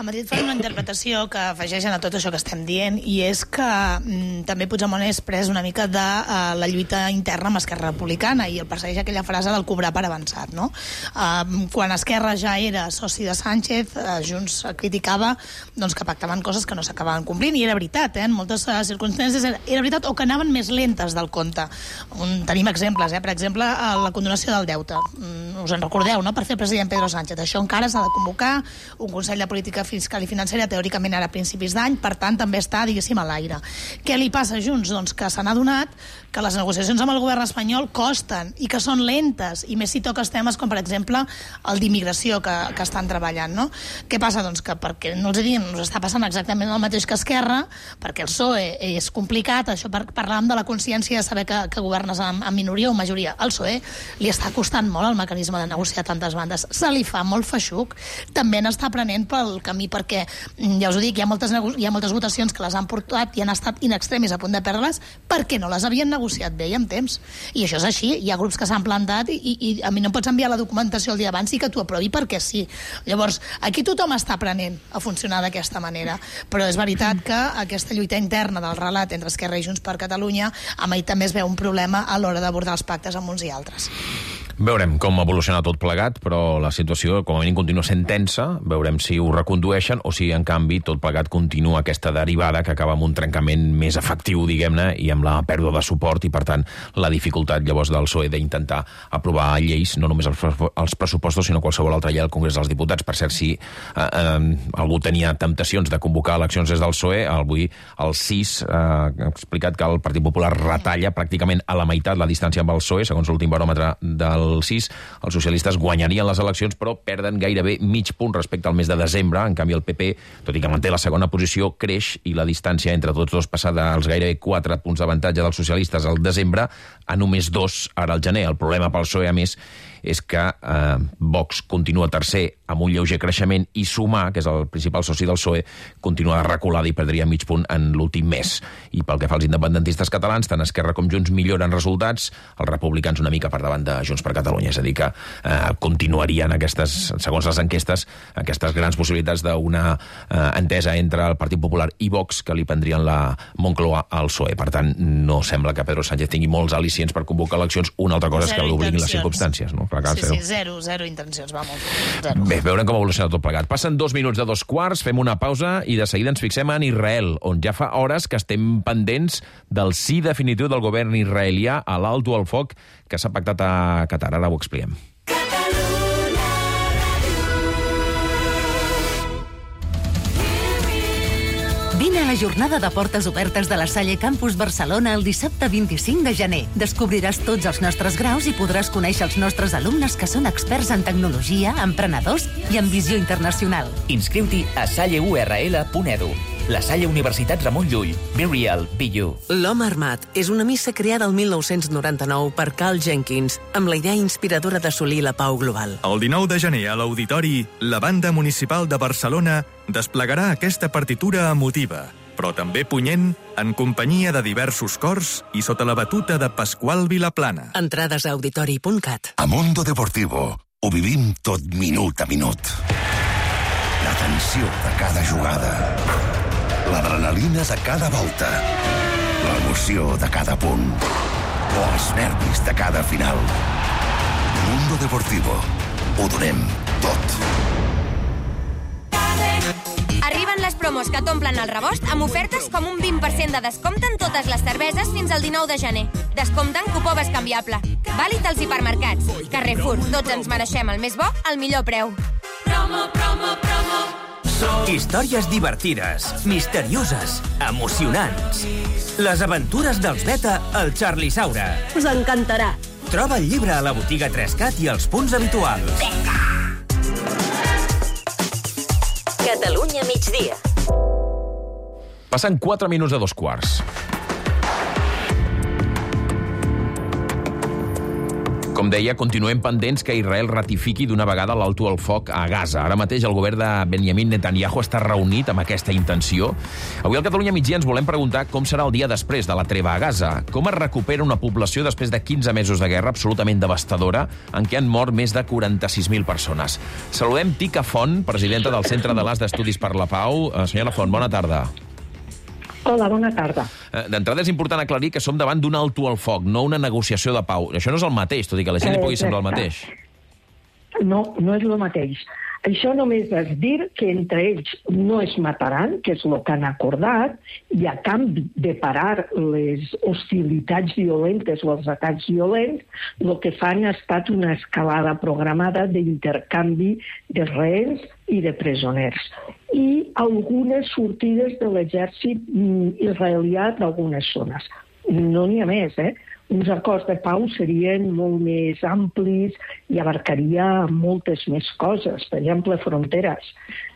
A Madrid fan una interpretació que afegeixen a tot això que estem dient, i és que mm, també Puigdemont és pres una mica de uh, la lluita interna amb Esquerra Republicana i el persegueix aquella frase del cobrar per avançat, no? Uh, quan Esquerra ja era soci de Sánchez, uh, Junts criticava doncs, que pactaven coses que no s'acabaven complint, i era veritat, eh? En moltes uh, circumstàncies era, era veritat, o que anaven més lentes del compte. Un, tenim exemples, eh? Per exemple, uh, la condonació del deute. Mm, us en recordeu, no? Per fer president Pedro Sánchez. Això encara s'ha de convocar, un Consell de Política Fiscal i Financera teòricament ara a principis d'any, per tant també està, diguéssim, a l'aire. Què li passa a Junts? Doncs que se n'ha donat que les negociacions amb el govern espanyol costen i que són lentes, i més si toques temes com, per exemple, el d'immigració que, que estan treballant, no? Què passa? Doncs que, perquè no els diem, ens està passant exactament el mateix que Esquerra, perquè el P S O E és complicat, això per, parlàvem de la consciència de saber que, que governes amb, amb minoria o majoria. Al P S O E li està costant molt el mecanisme de negociar tantes bandes. Se li fa molt feixuc, també n'està prenent pel camí, perquè, ja us ho dic, hi ha moltes, hi ha moltes votacions que les han portat i han estat in extremis a punt de perdre-les perquè no les havien negociat bé i amb temps. I això és així. Hi ha grups que s'han plantat i, i, i a mi no em pots enviar la documentació el dia abans i que t'ho aprovi perquè sí. Llavors, aquí tothom està aprenent a funcionar d'aquesta manera. Però és veritat que aquesta lluita interna del relat entre Esquerra i Junts per Catalunya, amb ell també es veu un problema a l'hora d'abordar els pactes amb uns i altres. Veurem com evoluciona tot plegat, però la situació, com a mínim, continua sent tensa. Veurem si ho recondueixen o si, en canvi, tot plegat continua aquesta derivada que acaba amb un trencament més efectiu, diguem-ne, i amb la pèrdua de suport i, per tant, la dificultat, llavors, del P S O E d'intentar aprovar lleis, no només els, els pressupostos, sinó qualsevol altra llei al Congrés dels Diputats. Per cert, si eh, eh, algú tenia temptacions de convocar eleccions des del P S O E, avui el C I S eh, ha explicat que el Partit Popular retalla pràcticament a la meitat la distància amb el P S O E, segons l'últim baròmetre del C I S. Els socialistes guanyarien les eleccions, però perden gairebé mig punt respecte al mes de desembre. En canvi, el P P, tot i que manté la segona posició, creix, i la distància entre tots dos passa dels gairebé quatre punts d'avantatge dels socialistes al desembre a només dos ara al gener. El problema pel P S O E, a més, és que eh, Vox continua tercer amb un lleuger creixement, i Sumar, que és el principal soci del P S O E, continua reculada i perdria mig punt en l'últim mes. I pel que fa als independentistes catalans, tant Esquerra com Junts milloren resultats, els republicans una mica per davant de Junts per Catalunya. És a dir, que eh, continuarien aquestes, segons les enquestes, aquestes grans possibilitats d'una eh, entesa entre el Partit Popular i Vox que li prendrien la Moncloa al P S O E. Per tant, no sembla que Pedro Sánchez tingui molts al·licients per convocar eleccions. Una altra cosa és que l'obliguin les circumstàncies, no? Sí, sí, zero, zero intencions, vamos. Zero. Bé, veurem com evoluciona tot plegat. Passen dos minuts de dos quarts, fem una pausa i de seguida ens fixem en Israel, on ja fa hores que estem pendents del sí definitiu del govern israelià a l'alto al foc que s'ha pactat a Qatar. Ara ho expliquem. Vine a la jornada de portes obertes de la Salle Campus Barcelona el dissabte vint-i-cinc de gener. Descobriràs tots els nostres graus i podràs conèixer els nostres alumnes que són experts en tecnologia, emprenedors i en visió internacional. Inscriu-t'hi a salle u erra ele punt edu. La Salle Universitat Ramon Llull. Be real, be you. L'Home Armat és una missa creada el mil nou-cents noranta-nou per Carl Jenkins, amb la idea inspiradora d'assolir la pau global. El dinou de gener a l'Auditori, la Banda Municipal de Barcelona desplegarà aquesta partitura emotiva, però també punyent, en companyia de diversos cors i sota la batuta de Pasqual Vilaplana. Entrades a auditori punt cat. A Mundo Deportivo ho vivim tot minut a minut. La tensió de cada jugada, l'adrenalina de cada volta, l'emoció de cada punt o els nervis de cada final. Mundo Deportivo. Ho donem tot. Arriben les promos que t'omplen el rebost amb ofertes com un vint per cent de descompte en totes les cerveses fins al dinou de gener. Descompte en cupó bescanviable. Vàlid als hipermercats. Carrefour, tots ens mereixem el més bo al millor preu. Promo, promo, promo. Històries divertides, misterioses, emocionants. Les aventures dels Beta al Charlie Saura. Us encantarà. Troba el llibre a la botiga tres cat i als punts habituals. Catalunya migdia. Passen quatre minuts de dos quarts. Com deia, continuem pendents que Israel ratifiqui d'una vegada l'alto al foc a Gaza. Ara mateix el govern de Benjamin Netanyahu està reunit amb aquesta intenció. Avui al Catalunya Migdia ens volem preguntar com serà el dia després de la treva a Gaza. Com es recupera una població després de quinze mesos de guerra absolutament devastadora en què han mort més de quaranta-sis mil persones. Saludem Tica Font, presidenta del Centre de l'As d'Estudis per la Pau. Eh, senyora Font, bona tarda. Hola, bona tarda. Eh, D'entrada és important aclarir que som davant d'un alto al foc, no una negociació de pau. Això no és el mateix, tot i que a la gent li pugui semblar el mateix. No, no és el mateix. Això només és dir que entre ells no es mataran, que és el que han acordat, i a canvi de parar les hostilitats violentes o els atacs violents, el que fan ha estat una escalada programada d'intercanvi de rehenes i de presoners. I algunes sortides de l'exèrcit israelià d'algunes zones. No n'hi ha més, eh? Uns acords de pau serien molt més amplis i abarcaria moltes més coses. Per exemple, fronteres.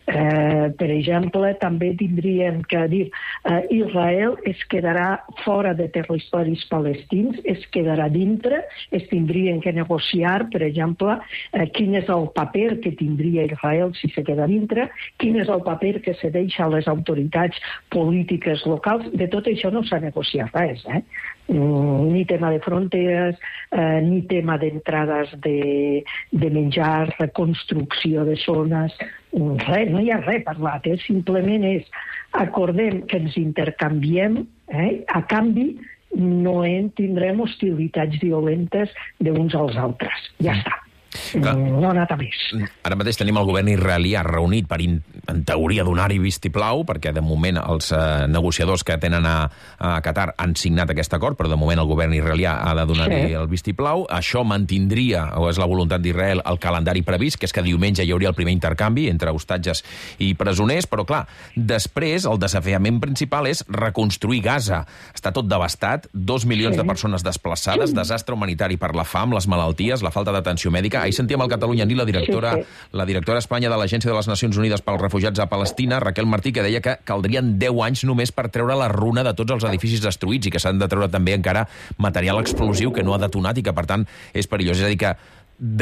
Eh, per exemple, també tindríem que dir eh, Israel es quedarà fora de territoris palestins, es quedarà dintre, es tindrien que negociar, per exemple, eh, quin és el paper que tindria Israel si se queda dintre, quin és el paper que se deixa a les autoritats polítiques locals. De tot això no s'ha negociat res, eh? Ni tema de fronteres, eh, ni tema d'entrades de, de menjar, reconstrucció de zones, res, no hi ha res parlat, eh? Simplement és acordem que ens intercanviem, eh? A canvi no en tindrem hostilitats violentes d'uns als altres. Ja està. Clar. No ha anat a més. Ara mateix tenim el govern israelià reunit per, in, en teoria, donar-hi vistiplau, perquè de moment els eh, negociadors que tenen a, a Qatar han signat aquest acord, però de moment el govern israelià ha de donar-hi sí. el vistiplau. Això mantindria, o és la voluntat d'Israel, el calendari previst, que és que diumenge hi hauria el primer intercanvi entre hostatges i presoners, però clar, després el desafiament principal és reconstruir Gaza. Està tot devastat, dos milions sí. de persones desplaçades, desastre humanitari per la fam, les malalties, la falta d'atenció mèdica. Ahir sentíem al Catalunya ni la directora, sí, sí. la directora a Espanya de l'Agència de les Nacions Unides pels Refugiats a Palestina, Raquel Martí, que deia que caldrien deu anys només per treure la runa de tots els edificis destruïts i que s'han de treure també encara material explosiu que no ha detonat i que, per tant, és perillós. És a dir, que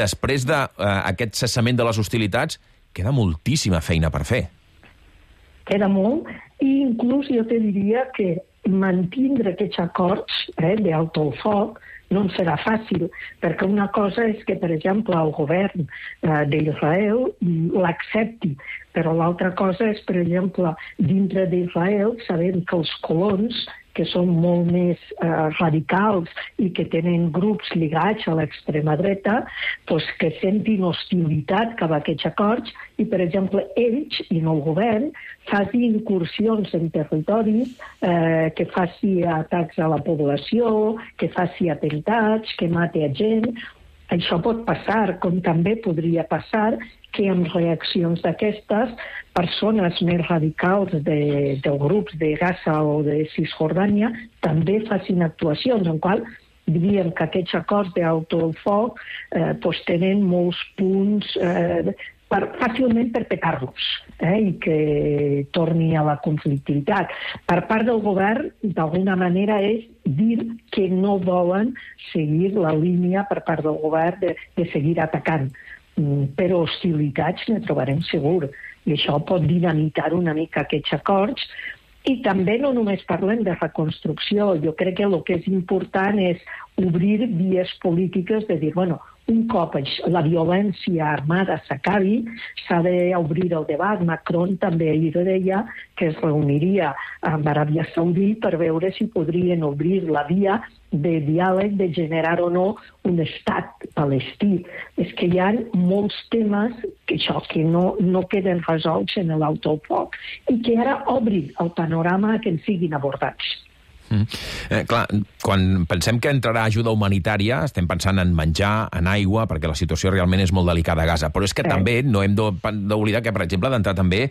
després d'aquest uh, cessament de les hostilitats queda moltíssima feina per fer. Queda molt, i inclús jo te diria que mantindre aquests acords eh, d'alto al foc no en serà fàcil, perquè una cosa és que, per exemple, el govern eh, d'Israel l'accepti, però l'altra cosa és, per exemple, dintre d'Israel, sabem que els colons, que són molt més eh, radicals i que tenen grups lligats a l'extrema dreta, doncs que sentin hostilitat cap a aquests acords i, per exemple, ells, i no el govern, faci incursions en territoris, eh, que faci atacs a la població, que faci atemptats, que mate a gent. Això pot passar, com també podria passar que amb reaccions d'aquestes, persones més radicals de, de grups de Gaza o de Cisjordània també facin actuacions, en qual diríem que aquests acords d'auto al foc eh, pues tenen molts punts eh, per, fàcilment per petar-los eh, i que torni a la conflictivitat. Per part del govern, d'alguna manera, és dir que no volen seguir la línia per part del govern de, de seguir atacant. Però hostilitats ne trobarem segur, i això pot dinamitar una mica aquests acords. I també no només parlem de reconstrucció, jo crec que el que és important és obrir vies polítiques de dir, bueno, un cop la violència armada s'acabi, s'ha d'obrir el debat. Macron també ahir deia que es reuniria amb Aràbia Saudita per veure si podrien obrir la via de diàleg, de generar o no un estat palestí. És que hi ha molts temes que, això, que no, no queden resolts en l'auto al foc i que ara obrin el panorama que en siguin abordats. Mm. Eh, clar, quan pensem que entrarà ajuda humanitària, estem pensant en menjar, en aigua, perquè la situació realment és molt delicada a Gaza. Però és que eh. també no hem d'oblidar que, per exemple, ha d'entrar també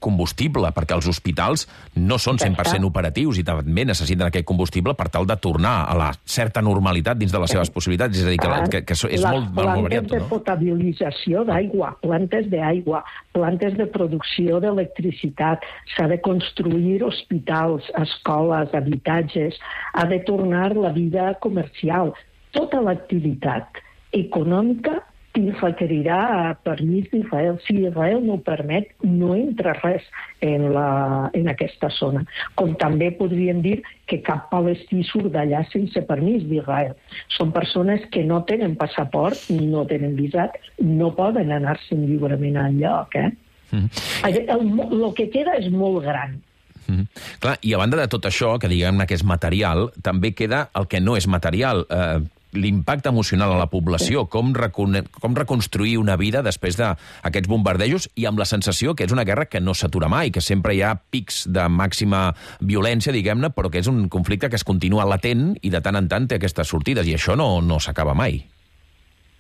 combustible, perquè els hospitals no són cent per cent operatius i també necessiten aquest combustible per tal de tornar a la certa normalitat dins de les seves possibilitats. És a dir, que, que, que és molt, molt, molt variat. Plantes de potabilització d'aigua, plantes d'aigua, plantes de producció d'electricitat, s'ha de construir hospitals, escoles, habitatges, ha de tornar la vida comercial. Tota l'activitat econòmica i requerirà permís d'Israel. Si Israel no ho permet, no entra res en, la, en aquesta zona. Com també podríem dir que cap palestí surt d'allà sense permís d'Israel. Són persones que no tenen passaport, no tenen visat, no poden anar-se'n lliurement enlloc. Eh? Mm. El, el, el que queda és molt gran. Mm. Clar, i a banda de tot això, que diguem que és material, també queda el que no és material. Eh, l'impacte emocional a la població, com, recon com reconstruir una vida després d'aquests bombardejos i amb la sensació que és una guerra que no s'atura mai, que sempre hi ha pics de màxima violència, diguem-ne, però que és un conflicte que es continua latent i de tant en tant té aquestes sortides, i això no, no s'acaba mai.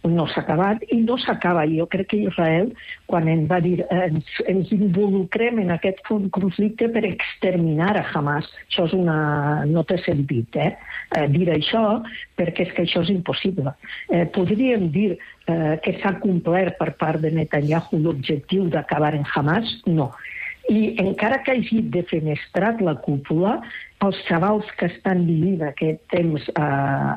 No s'ha acabat i no s'acaba. Jo crec que Israel, quan ens va dir ens, ens involucrem en aquest conflicte per exterminar a Hamas, això és una... no té sentit, eh? eh dir això, perquè és que això és impossible. Eh, podríem dir eh, que s'ha complert per part de Netanyahu l'objectiu d'acabar en Hamas? No. I encara que hagi defenestrat la cúpula, els xavals que estan vivint aquest temps a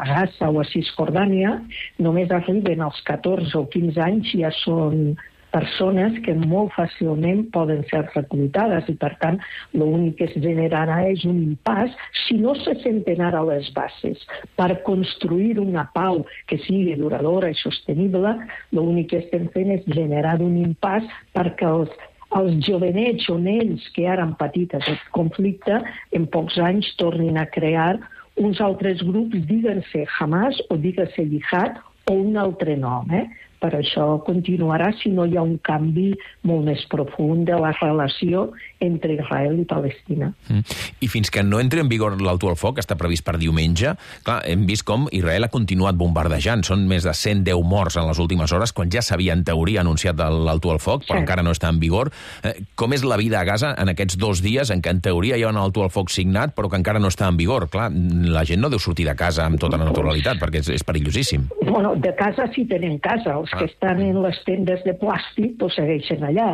Gaza o a Cisjordània només arriben als catorze o quinze anys, ja són persones que molt fàcilment poden ser reclutades i, per tant, l'únic que es generarà és un impàs si no se senten ara a les bases. Per construir una pau que sigui duradora i sostenible, l'únic que estem fent és generar un impàs perquè els els jovenets o nens que ara han patit aquest conflicte en pocs anys tornin a crear uns altres grups, digues-se Hamas o digues-se Jihad o un altre nom. Eh? Per això continuarà si no hi ha un canvi molt més profund de la relació entre Israel i Palestina. Mm. I fins que no entri en vigor l'alto al foc, que està previst per diumenge, clar, hem vist com Israel ha continuat bombardejant. Són més de cent deu morts en les últimes hores, quan ja s'havia en teoria anunciat l'alto al foc, però sí, encara no està en vigor. Eh, com és la vida a Gaza en aquests dos dies en què en teoria hi ha un alto al foc signat, però que encara no està en vigor? Clar, la gent no deu sortir de casa amb tota la naturalitat, perquè és, és perillosíssim. Bueno, de casa sí tenen casa. Els que estan en les tendes de plàstic doncs segueixen allà.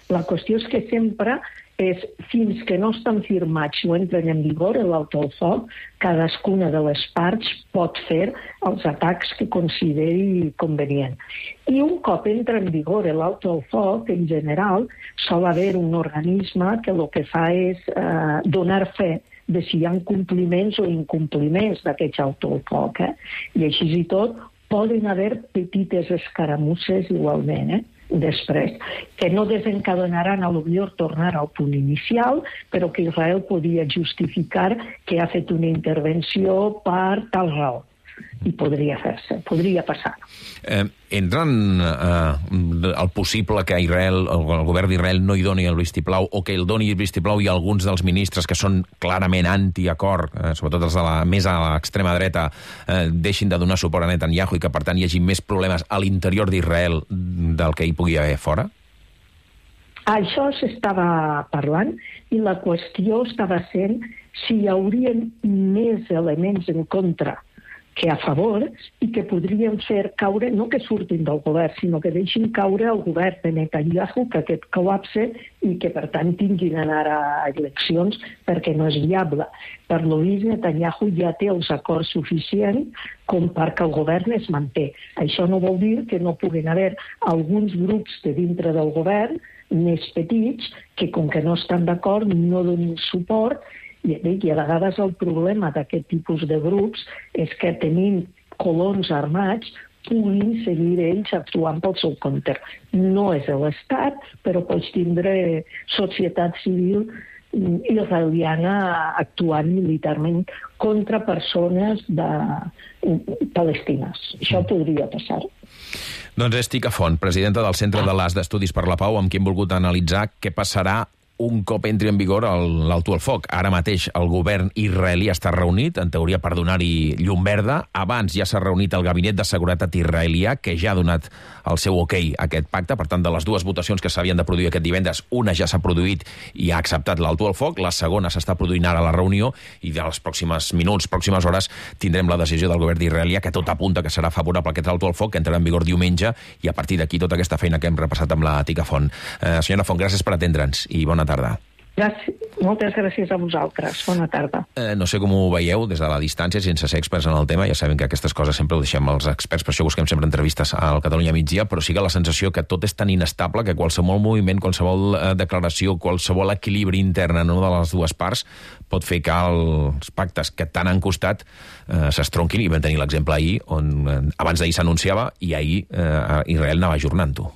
La qüestió és que sempre és, fins que no estan firmats o entren en vigor l'alto al foc, cadascuna de les parts pot fer els atacs que consideri convenient. I un cop entra en vigor l'alto al foc, en general, sol haver un organisme que el que fa és eh, donar fe de si hi ha compliments o incompliments d'aquest alto al foc. Eh? I així i tot, poden haver petites escaramusses igualment, eh? després, que no desencadenaran a lo millor tornar al punt inicial, però que Israel podia justificar que ha fet una intervenció per tal raó. I podria fer-se, podria passar. Eh, entren eh, el possible que Israel, el govern d'Israel no hi doni el vistiplau, o que el doni el vistiplau i alguns dels ministres que són clarament anti-acord, eh, sobretot els de la més a l'extrema dreta, eh, deixin de donar suport a Netanyahu i que per tant hi hagi més problemes a l'interior d'Israel del que hi pugui haver fora? Això s'estava parlant i la qüestió estava sent si hi haurien més elements en contra que a favor i que podrien fer caure, no que surtin del govern, sinó que deixin caure el govern de Netanyahu, que aquest col·lapse i que per tant tinguin d'anar a eleccions perquè no és viable. Per lo vist, Netanyahu ja té els acords suficients com perquè el govern es manté. Això no vol dir que no puguin haver alguns grups de dintre del govern més petits que, com que no estan d'acord, no donin suport. I a vegades el problema d'aquest tipus de grups és que tenint colons armats puguin seguir ells actuant pel seu compte. No és l'Estat, però pots tindre societat civil israeliana actuant militarment contra persones de... palestines. Això podria passar. Doncs és Tika Font, presidenta del Centre de l'A S d'Estudis per la Pau, amb qui hem volgut analitzar què passarà un cop entri en vigor l'alto al foc. Ara mateix el govern israelí està reunit, en teoria per donar-hi llum verda. Abans ja s'ha reunit el Gabinet de Seguretat israelià, que ja ha donat el seu ok a aquest pacte. Per tant, de les dues votacions que s'havien de produir aquest divendres, una ja s'ha produït i ha acceptat l'alto al foc, la segona s'està produint ara a la reunió, i de les pròximes minuts, pròximes hores, tindrem la decisió del govern d'Israel, que tot apunta que serà favorable aquest alto al foc, que entrarà en vigor diumenge, i a partir d'aquí tota aquesta feina que hem repassat amb la Tika Font. Eh, senyora Font, gràcies per atendre'ns i bona tarda. Gràcies. Moltes gràcies a vosaltres. Bona tarda. Eh, no sé com ho veieu des de la distància, sense ser experts en el tema. Ja sabem que aquestes coses sempre ho deixem als experts, per això busquem sempre entrevistes al Catalunya Migdia, però sí que la sensació que tot és tan inestable que qualsevol moviment, qualsevol eh, declaració, qualsevol equilibri intern en una de les dues parts pot fer que els pactes que tant han costat eh, s'estronquin, i vam tenir l'exemple ahir, on eh, abans d'ahir s'anunciava i ahir eh, Israel anava ajornant-ho.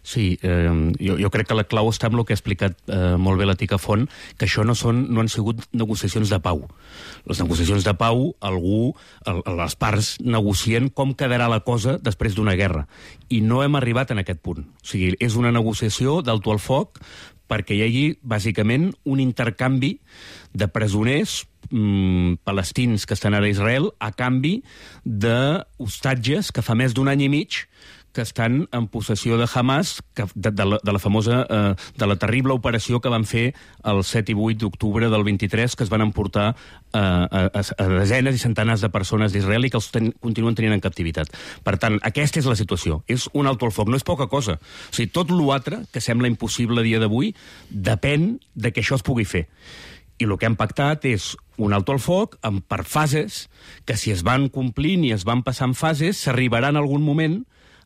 Sí, eh, jo, jo crec que la clau està en el que ha explicat eh, molt bé la Tica Font, que això no, són, no han sigut negociacions de pau. Les negociacions de pau, algú, el, les parts negocien com quedarà la cosa després d'una guerra. I no hem arribat en aquest punt. O sigui, és una negociació d'alto al foc perquè hi hagi, bàsicament, un intercanvi de presoners mm, palestins que estan ara a Israel a canvi d'hostatges que fa més d'un any i mig que estan en possessió de Hamas, que, de, de, la, de la famosa, eh, de la terrible operació que van fer el set i vuit d'octubre del vint-i-tres, que es van emportar eh, a, a desenes i centenars de persones d'Israel i que els ten, continuen tenint en captivitat. Per tant, aquesta és la situació. És un alto al foc, no és poca cosa. O sigui, tot l'altre, que sembla impossible a dia d'avui, depèn de que això es pugui fer. I el que hem pactat és un alto al foc amb, per fases, que si es van complint i es van passant fases, s'arribarà en algun moment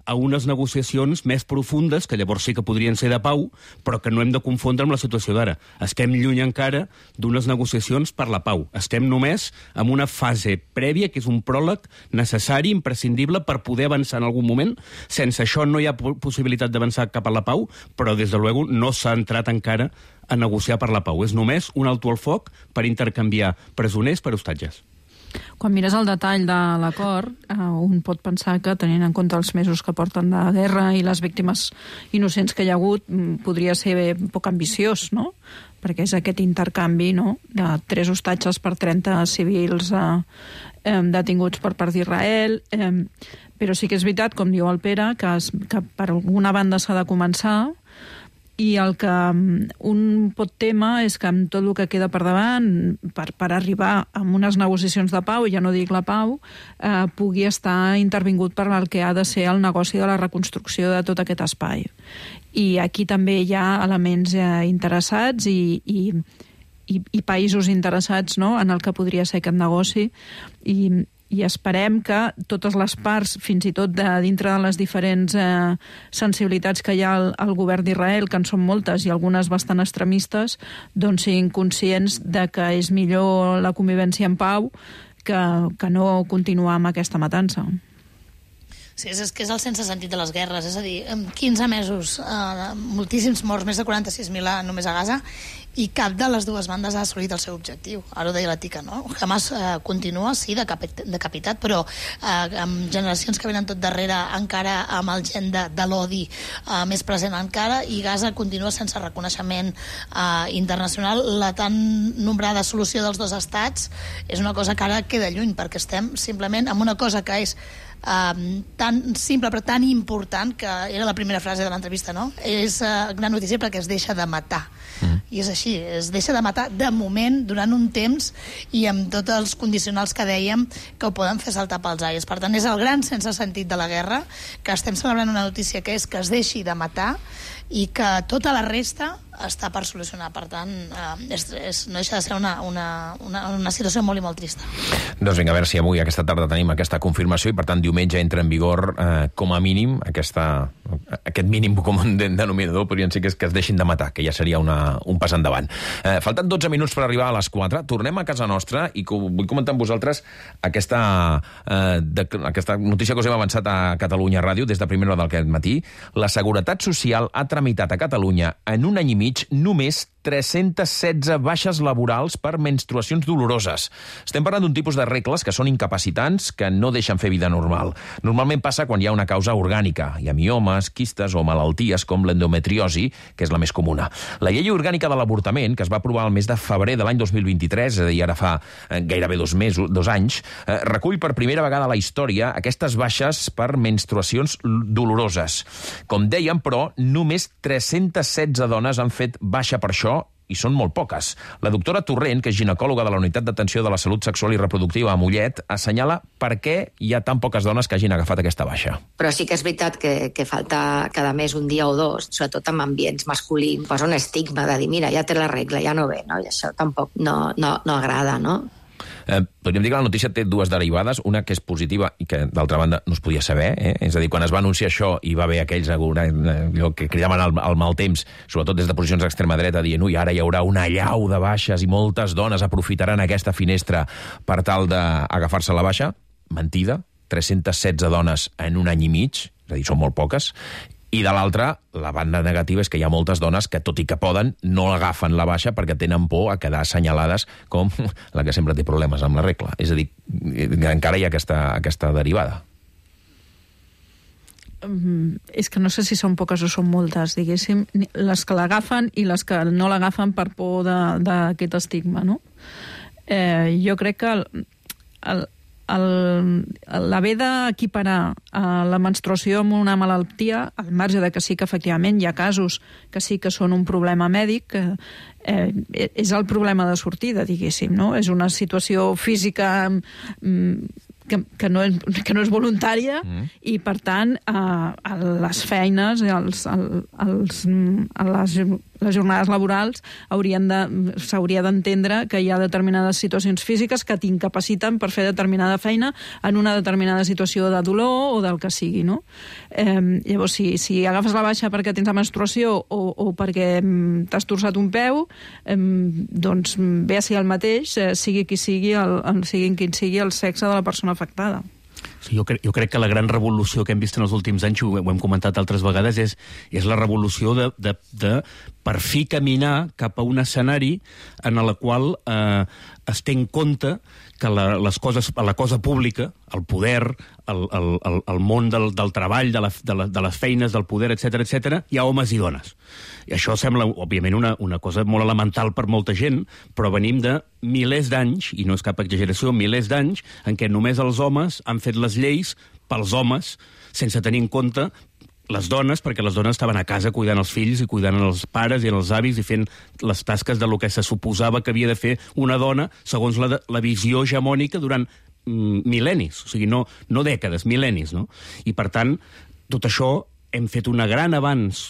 a unes negociacions més profundes, que llavors sí que podrien ser de pau, però que no hem de confondre amb la situació d'ara. Estem lluny encara d'unes negociacions per la pau. Estem només en una fase prèvia, que és un pròleg necessari, imprescindible, per poder avançar en algun moment. Sense això no hi ha possibilitat d'avançar cap a la pau, però, des de luego, no s'ha entrat encara a negociar per la pau. És només un alto al foc per intercanviar presoners per hostatges. Quan mires el detall de l'acord, eh, un pot pensar que, tenint en compte els mesos que porten de guerra i les víctimes innocents que hi ha hagut, podria ser poc ambiciós, no? Perquè és aquest intercanvi, no?, de tres hostatges per trenta civils eh, eh, detinguts per part d'Israel. Eh, però sí que és veritat, com diu el Pere, que, es, que per alguna banda s'ha de començar, i el que un pot temer és que amb tot el que queda per davant, per, per arribar a unes negociacions de pau, ja no dic la pau, eh, pugui estar intervingut per el que ha de ser el negoci de la reconstrucció de tot aquest espai. I aquí també hi ha elements eh, interessats i, i, i, i països interessats, no?, en el que podria ser aquest negoci, i i esperem que totes les parts, fins i tot de dintre de les diferents eh, sensibilitats que hi ha al, al govern d'Israel, que en són moltes i algunes bastant extremistes, doncs siguin conscients de que és millor la convivència en pau que, que no continuar amb aquesta matança. Sí, és, és que és el sense sentit de les guerres, és a dir, quinze mesos, eh, moltíssims morts, més de quaranta-sis mil només a Gaza, i cap de les dues bandes ha assolit el seu objectiu. Ara ho deia la Tica, no? Hamas eh, continua, sí, decapitat, decapitat però eh, amb generacions que venen tot darrere, encara amb el gen de, de l'odi eh, més present encara, i Gaza continua sense reconeixement eh, internacional. La tan nombrada solució dels dos estats és una cosa que ara queda lluny, perquè estem simplement amb una cosa que és Um, tan simple però tan important, que era la primera frase de l'entrevista, no? És uh, gran notícia perquè es deixa de matar. Mm. I és així, es deixa de matar de moment, durant un temps, i amb tots els condicionals que dèiem que ho poden fer saltar pels aires. Per tant, és el gran sense sentit de la guerra, que estem celebrant una notícia que és que es deixi de matar i que tota la resta està per solucionar. Per tant, eh, és, és, no deixa de ser una, una, una, una situació molt i molt trista. Doncs vinga, a veure si avui, aquesta tarda, tenim aquesta confirmació i, per tant, diumenge entra en vigor, eh, com a mínim, aquesta, aquest mínim comú denominador, podrien ser que es, que es deixin de matar, que ja seria una, un pas endavant. Eh, falten dotze minuts per arribar a les quatre. Tornem a casa nostra i co vull comentar amb vosaltres aquesta, eh, de, aquesta notícia que us hem avançat a Catalunya Ràdio des de primera hora d'aquest matí. La Seguretat Social ha tramitat a Catalunya en un any i mig només tres-centes setze baixes laborals per menstruacions doloroses. Estem parlant d'un tipus de regles que són incapacitants, que no deixen fer vida normal. Normalment passa quan hi ha una causa orgànica. Hi ha miomes, quistes o malalties com l'endometriosi, que és la més comuna. La llei orgànica de l'avortament, que es va aprovar el mes de febrer de l'any dos mil vint-i-tres, és a dir, ara fa eh, gairebé dos mesos, dos anys, eh, recull per primera vegada a la història aquestes baixes per menstruacions doloroses. Com dèiem, però, només tres-centes setze dones han fet baixa per això, i són molt poques. La doctora Torrent, que és ginecòloga de la Unitat d'Atenció de la Salut Sexual i Reproductiva a Mollet, assenyala per què hi ha tan poques dones que hagin agafat aquesta baixa. Però sí que és veritat que, que falta cada mes un dia o dos, sobretot en ambients masculins, posa un estigma de dir, mira, ja té la regla, ja no ve, no? I això tampoc no, no, no agrada, no? Eh, podríem dir que la notícia té dues derivades, una que és positiva i que, d'altra banda, no es podia saber. Eh? És a dir, quan es va anunciar això i va haver aquells eh, que cridaven el, el mal temps, sobretot des de posicions d'extrema dreta, dient ui, ara hi haurà una allau de baixes i moltes dones aprofitaran aquesta finestra per tal d'agafar-se la baixa. Mentida, tres-centes setze dones en un any i mig, és a dir, són molt poques. I de l'altra, la banda negativa és que hi ha moltes dones que, tot i que poden, no agafen la baixa perquè tenen por a quedar assenyalades com la que sempre té problemes amb la regla. És a dir, encara hi ha aquesta, aquesta derivada. Um, és que no sé si són poques o són moltes, diguéssim, les que l'agafen i les que no l'agafen per por d'aquest estigma, no? Eh, jo crec que el, el l'haver d'equiparar la menstruació amb una malaltia, al marge de que sí que efectivament hi ha casos que sí que són un problema mèdic, eh, és el problema de sortida, diguéssim, no? És una situació física que, que, no, és, que no és voluntària mm. i, per tant, a, a les feines, als, als, a les, les jornades laborals s'hauria d'entendre que hi ha determinades situacions físiques que t'incapaciten per fer determinada feina en una determinada situació de dolor o del que sigui, no? Eh, llavors, si, si agafes la baixa perquè tens la menstruació o, o perquè t'has torçat un peu, eh, doncs ve a ser el mateix, eh, sigui qui sigui, el, el, sigui quin sigui el sexe de la persona afectada. Sí, jo, crec, jo crec que la gran revolució que hem vist en els últims anys, ho, ho hem comentat altres vegades, és, és la revolució de, de, de per fi caminar cap a un escenari en el qual eh, es té en compte que la, les coses, la cosa pública, el poder, el, el, el, el món del, del treball, de, la, de, la, de les feines, del poder, etcètera, etcètera, hi ha homes i dones. I això sembla, òbviament, una, una cosa molt elemental per molta gent, però venim de milers d'anys, i no és cap exageració, milers d'anys, en què només els homes han fet les lleis pels homes, sense tenir en compte les dones, perquè les dones estaven a casa cuidant els fills i cuidant els pares i els avis i fent les tasques de lo que se suposava que havia de fer una dona segons la, la visió hegemònica durant mm, mil·lennis, o sigui, no, no dècades, mil·lennis, no? I, per tant, tot això hem fet un gran avanç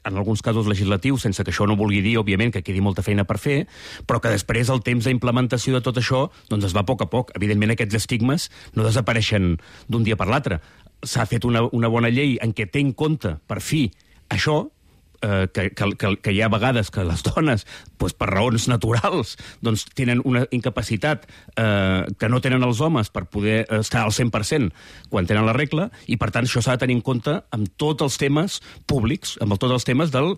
en alguns casos legislatius, sense que això no vulgui dir, òbviament, que quedi molta feina per fer, però que després el temps d'implementació de tot això doncs es va a poc a poc. Evidentment, aquests estigmes no desapareixen d'un dia per l'altre. S'ha fet una, una bona llei en què té en compte, per fi, això, eh, que, que, que hi ha vegades que les dones, doncs, per raons naturals, doncs, tenen una incapacitat eh, que no tenen els homes per poder estar al cent per cent quan tenen la regla, i per tant això s'ha de tenir en compte amb tots els temes públics, amb tots els temes del,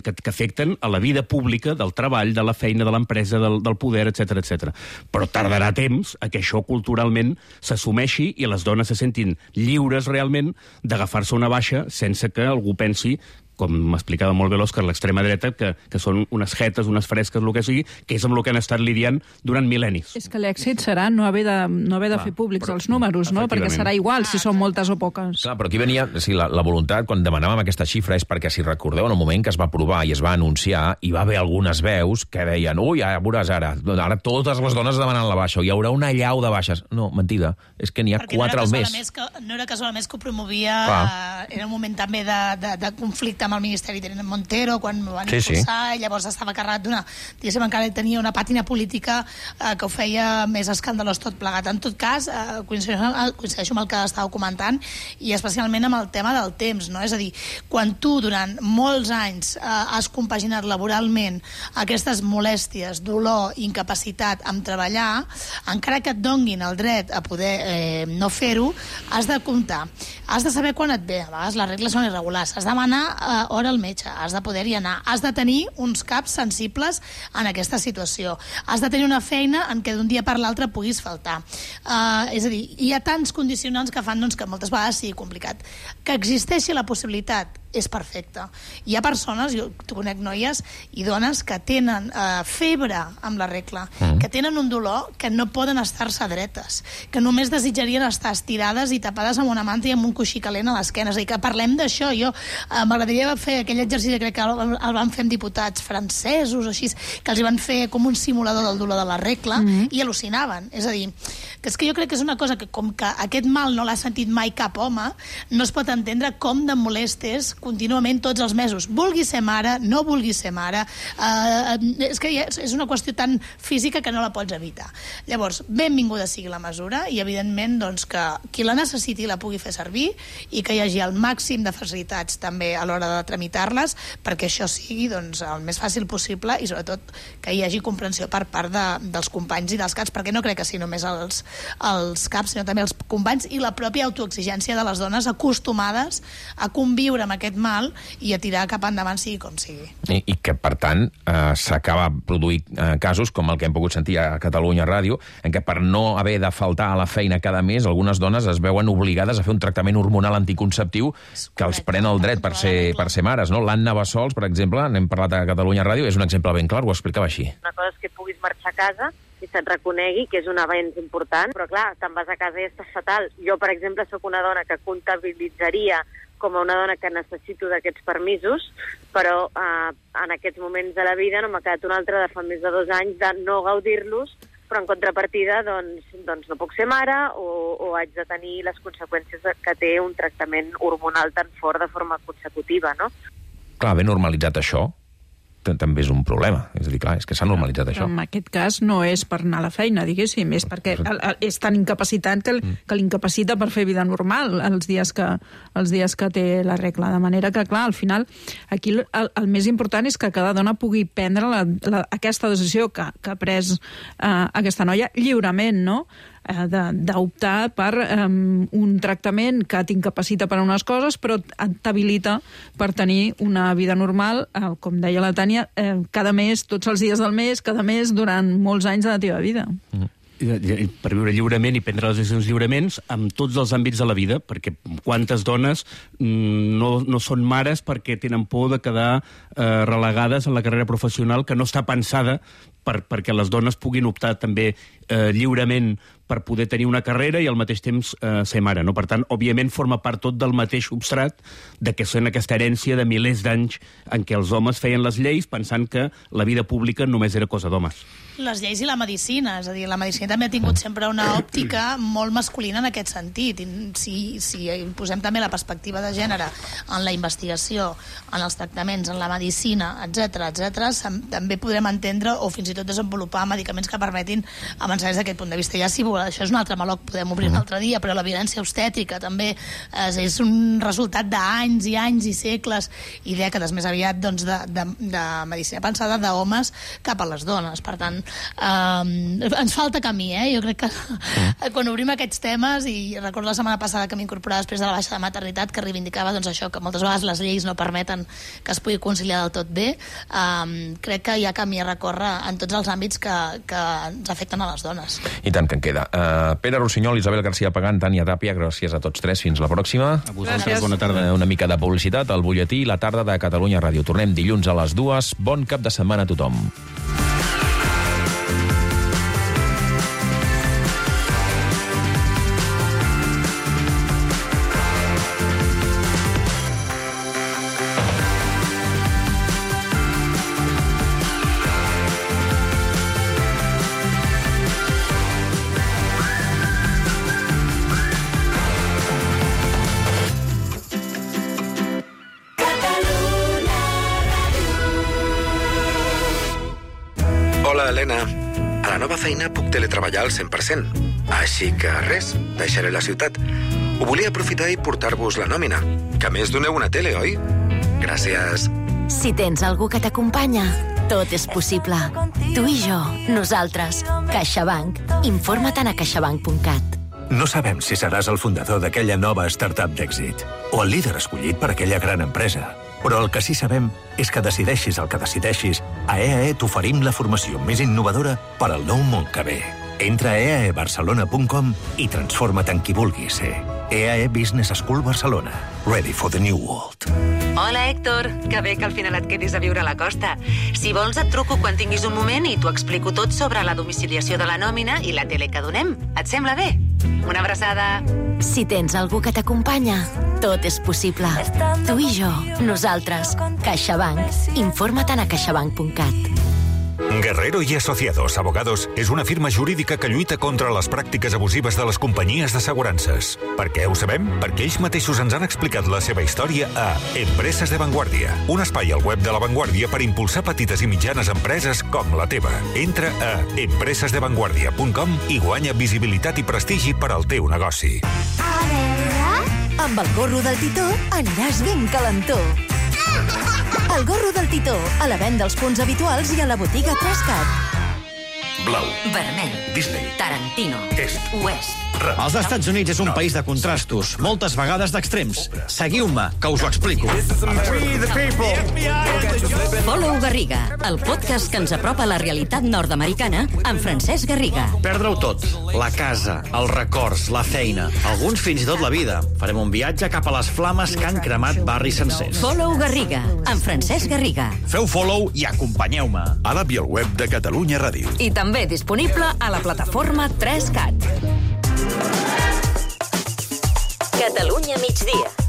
que, que afecten a la vida pública, del treball, de la feina, de l'empresa, del, del poder, etcètera, etcètera. Però tardarà temps a que això culturalment s'assumeixi i les dones se sentin lliures realment d'agafar-se una baixa sense que algú pensi, com m'explicava molt bé l'Òscar, l'extrema dreta, que, que són unes jetes, unes fresques, el que sigui, que és amb el que han estat lidiant durant mil·lennis. És que l'èxit serà no haver de, no haver de Clar, fer públics però, els números, no? Perquè serà igual si són moltes o poques. Clar, però aquí venia, sí, la, la voluntat, quan demanàvem aquesta xifra, és perquè, si recordeu, en el moment que es va aprovar i es va anunciar, hi va haver algunes veus que deien, ui, ja veuràs ara, ara totes les dones demanen la baixa, o hi haurà una allau de baixes. No, mentida, és que n'hi ha perquè quatre no al mes. Que, no era casualment que ho promovia, Clar. Era un moment també de, de, de conflicte amb el Ministeri de Montero, quan ho van sí, impulsar, sí. I llavors estava carregat d'una... Diguéssim, encara tenia una pàtina política eh, que ho feia més escandalós tot plegat. En tot cas, eh, coincideixo, coincideixo amb el que estàveu comentant, i especialment amb el tema del temps, no? És a dir, quan tu durant molts anys eh, has compaginat laboralment aquestes molèsties, dolor, incapacitat amb treballar, encara que et donguin el dret a poder eh, no fer-ho, has de comptar. Has de saber quan et ve. A vegades les regles són irregulars. Has de demanar eh, hora al metge, has de poder-hi anar, has de tenir uns caps sensibles en aquesta situació, has de tenir una feina en què d'un dia per l'altre puguis faltar. Uh, és a dir, hi ha tants condicionants que fan doncs, que moltes vegades sigui complicat. Que existeixi la possibilitat és perfecte. Hi ha persones, jo conec noies i dones que tenen eh, febre amb la regla, mm. que tenen un dolor que no poden estar-se dretes, que només desitjarien estar estirades i tapades amb una manta i amb un coixí calent a l'esquena. És a dir, que parlem d'això. Jo eh, m'agradaria fer aquell exercici, crec que el, el van fer amb diputats francesos o així, que els van fer com un simulador del dolor de la regla mm. i al·lucinaven. És a dir, que és que jo crec que és una cosa que com que aquest mal no l'ha sentit mai cap home, no es pot entendre com de molest és contínuament tots els mesos. Vulgui ser mare, no vulgui ser mare, eh, és que és una qüestió tan física que no la pots evitar. Llavors, benvinguda sigui la mesura i, evidentment, doncs, que qui la necessiti la pugui fer servir i que hi hagi el màxim de facilitats també a l'hora de tramitar-les perquè això sigui doncs, el més fàcil possible i, sobretot, que hi hagi comprensió per part de, dels companys i dels caps, perquè no crec que sigui només els, els caps, sinó també els companys i la pròpia autoexigència de les dones acostumades a conviure amb aquest mal i a tirar cap endavant sigui com sigui. I, i que, per tant, eh, s'acaba produint eh, casos com el que hem pogut sentir a Catalunya Ràdio, en què per no haver de faltar a la feina cada mes, algunes dones es veuen obligades a fer un tractament hormonal anticonceptiu que els pren el dret per ser, per ser mares. No? L'Anna Bassols, per exemple, n'hem parlat a Catalunya Ràdio, és un exemple ben clar, ho explicava així. Una cosa és que puguis marxar a casa i se't reconegui que és un avenç important, però clar, te'n vas a casa i estàs fatal. Jo, per exemple, sóc una dona que comptabilitzaria com a una dona que necessito d'aquests permisos, però eh, en aquests moments de la vida no m'ha quedat un altre de fa més de dos anys de no gaudir-los, però en contrapartida doncs, doncs no puc ser mare o, o haig de tenir les conseqüències que té un tractament hormonal tan fort de forma consecutiva, no? Clar, ben normalitzat això també és un problema. És a dir, clar, és que s'ha normalitzat això. Però en aquest cas no és per anar a la feina, diguéssim, és perquè el, el, és tan incapacitat que, el, que l'incapacita per fer vida normal els dies que, els dies que té la regla. De manera que, clar, al final, aquí el, el més important és que cada dona pugui prendre la, la, aquesta decisió que, que ha pres eh, aquesta noia lliurement, no?, d'optar per um, un tractament que t'incapacita per a unes coses però t'habilita per tenir una vida normal, eh, com deia la Tània, eh, cada mes, tots els dies del mes, cada mes, durant molts anys de la teva vida. Mm. Per viure lliurement i prendre les decisions lliurements en tots els àmbits de la vida, perquè quantes dones no, no són mares perquè tenen por de quedar eh, relegades en la carrera professional que no està pensada per, perquè les dones puguin optar també eh, lliurement per poder tenir una carrera i al mateix temps eh, ser mare, no? Per tant, òbviament forma part tot del mateix substrat de que són aquesta herència de milers d'anys en què els homes feien les lleis pensant que la vida pública només era cosa d'homes. Les lleis i la medicina, és a dir, la medicina també ha tingut sempre una òptica molt masculina en aquest sentit. I si, si posem també la perspectiva de gènere en la investigació, en els tractaments, en la medicina, etcètera, etcètera, també podrem entendre o fins i tot desenvolupar medicaments que permetin avançar des d'aquest punt de vista. Ja si vol, això és un altre meló que podem obrir un altre dia, però la violència obstètrica també és, és un resultat d'anys i anys i segles i dècades més aviat doncs, de, de, de medicina pensada d'homes cap a les dones. Per tant, Um, ens falta camí, eh? Jo crec que mm. quan obrim aquests temes, i recordo la setmana passada que m'incorporava després de la baixa de maternitat, que reivindicava doncs, això, que moltes vegades les lleis no permeten que es pugui conciliar del tot bé, um, crec que hi ha camí a recórrer en tots els àmbits que, que ens afecten a les dones. I tant que en queda. Uh, Pere Rossinyol, Isabel García Pagán, Tània Tàpia, gràcies a tots tres. Fins la pròxima. A vosaltres, bona tarda. Uh, una mica de publicitat, al butlletí i la tarda de Catalunya Ràdio. Tornem dilluns a les dues. Bon cap de setmana a tothom. Helena, a la nova feina puc teletreballar al cent per cent. Així que res, deixaré la ciutat. Ho volia aprofitar i portar-vos la nòmina. Que a més doneu una tele, oi? Gràcies. Si tens algú que t'acompanya, tot és possible. Tu i jo, nosaltres. CaixaBank. Informa't a caixabank punt cat. No sabem si seràs el fundador d'aquella nova startup d'èxit o el líder escollit per aquella gran empresa. Però el que sí sabem és que decideixis el que decideixis, a E A E t'oferim la formació més innovadora per al nou món que ve. Entra a e a e barcelona punt com i transforma't en qui vulguis ser. E A E Business School Barcelona. Ready for the new world. Hola, Héctor. Que bé que al final et quedis a viure a la costa. Si vols, et truco quan tinguis un moment i t'ho explico tot sobre la domiciliació de la nòmina i la tele que donem. Et sembla bé? Una abraçada. Si tens algú que t'acompanya, tot és possible. Tu i jo, nosaltres. CaixaBank. Informa't a caixabank punt cat. Guerrero y Asociados Abogados és una firma jurídica que lluita contra les pràctiques abusives de les companyies d'assegurances. Per què ho sabem? Perquè ells mateixos ens han explicat la seva història a Empreses de Vanguardia, un espai al web de La Vanguardia per impulsar petites i mitjanes empreses com la teva. Entra a empreses de vanguardia punt com i guanya visibilitat i prestigi per al teu negoci. A veure... Amb el gorro del Titó aniràs ben calentó. El gorro del Titó, a la venda als punts habituals i a la botiga Trascat. Blau. Vermell. Disney. Tarantino. Est. Oest. Els Estats Units és un país de contrastos, moltes vegades d'extrems. Seguiu-me, que us ho explico. Follow Garriga, el podcast que ens apropa a la realitat nord-americana amb Francesc Garriga. Perdre-ho tot. La casa, els records, la feina, alguns fins i tot la vida. Farem un viatge cap a les flames que han cremat barris sencers. Follow Garriga, amb Francesc Garriga. Feu follow i acompanyeu-me. A l'app i al web de Catalunya Ràdio. I també disponible a la plataforma tres cat. Catalunya migdia.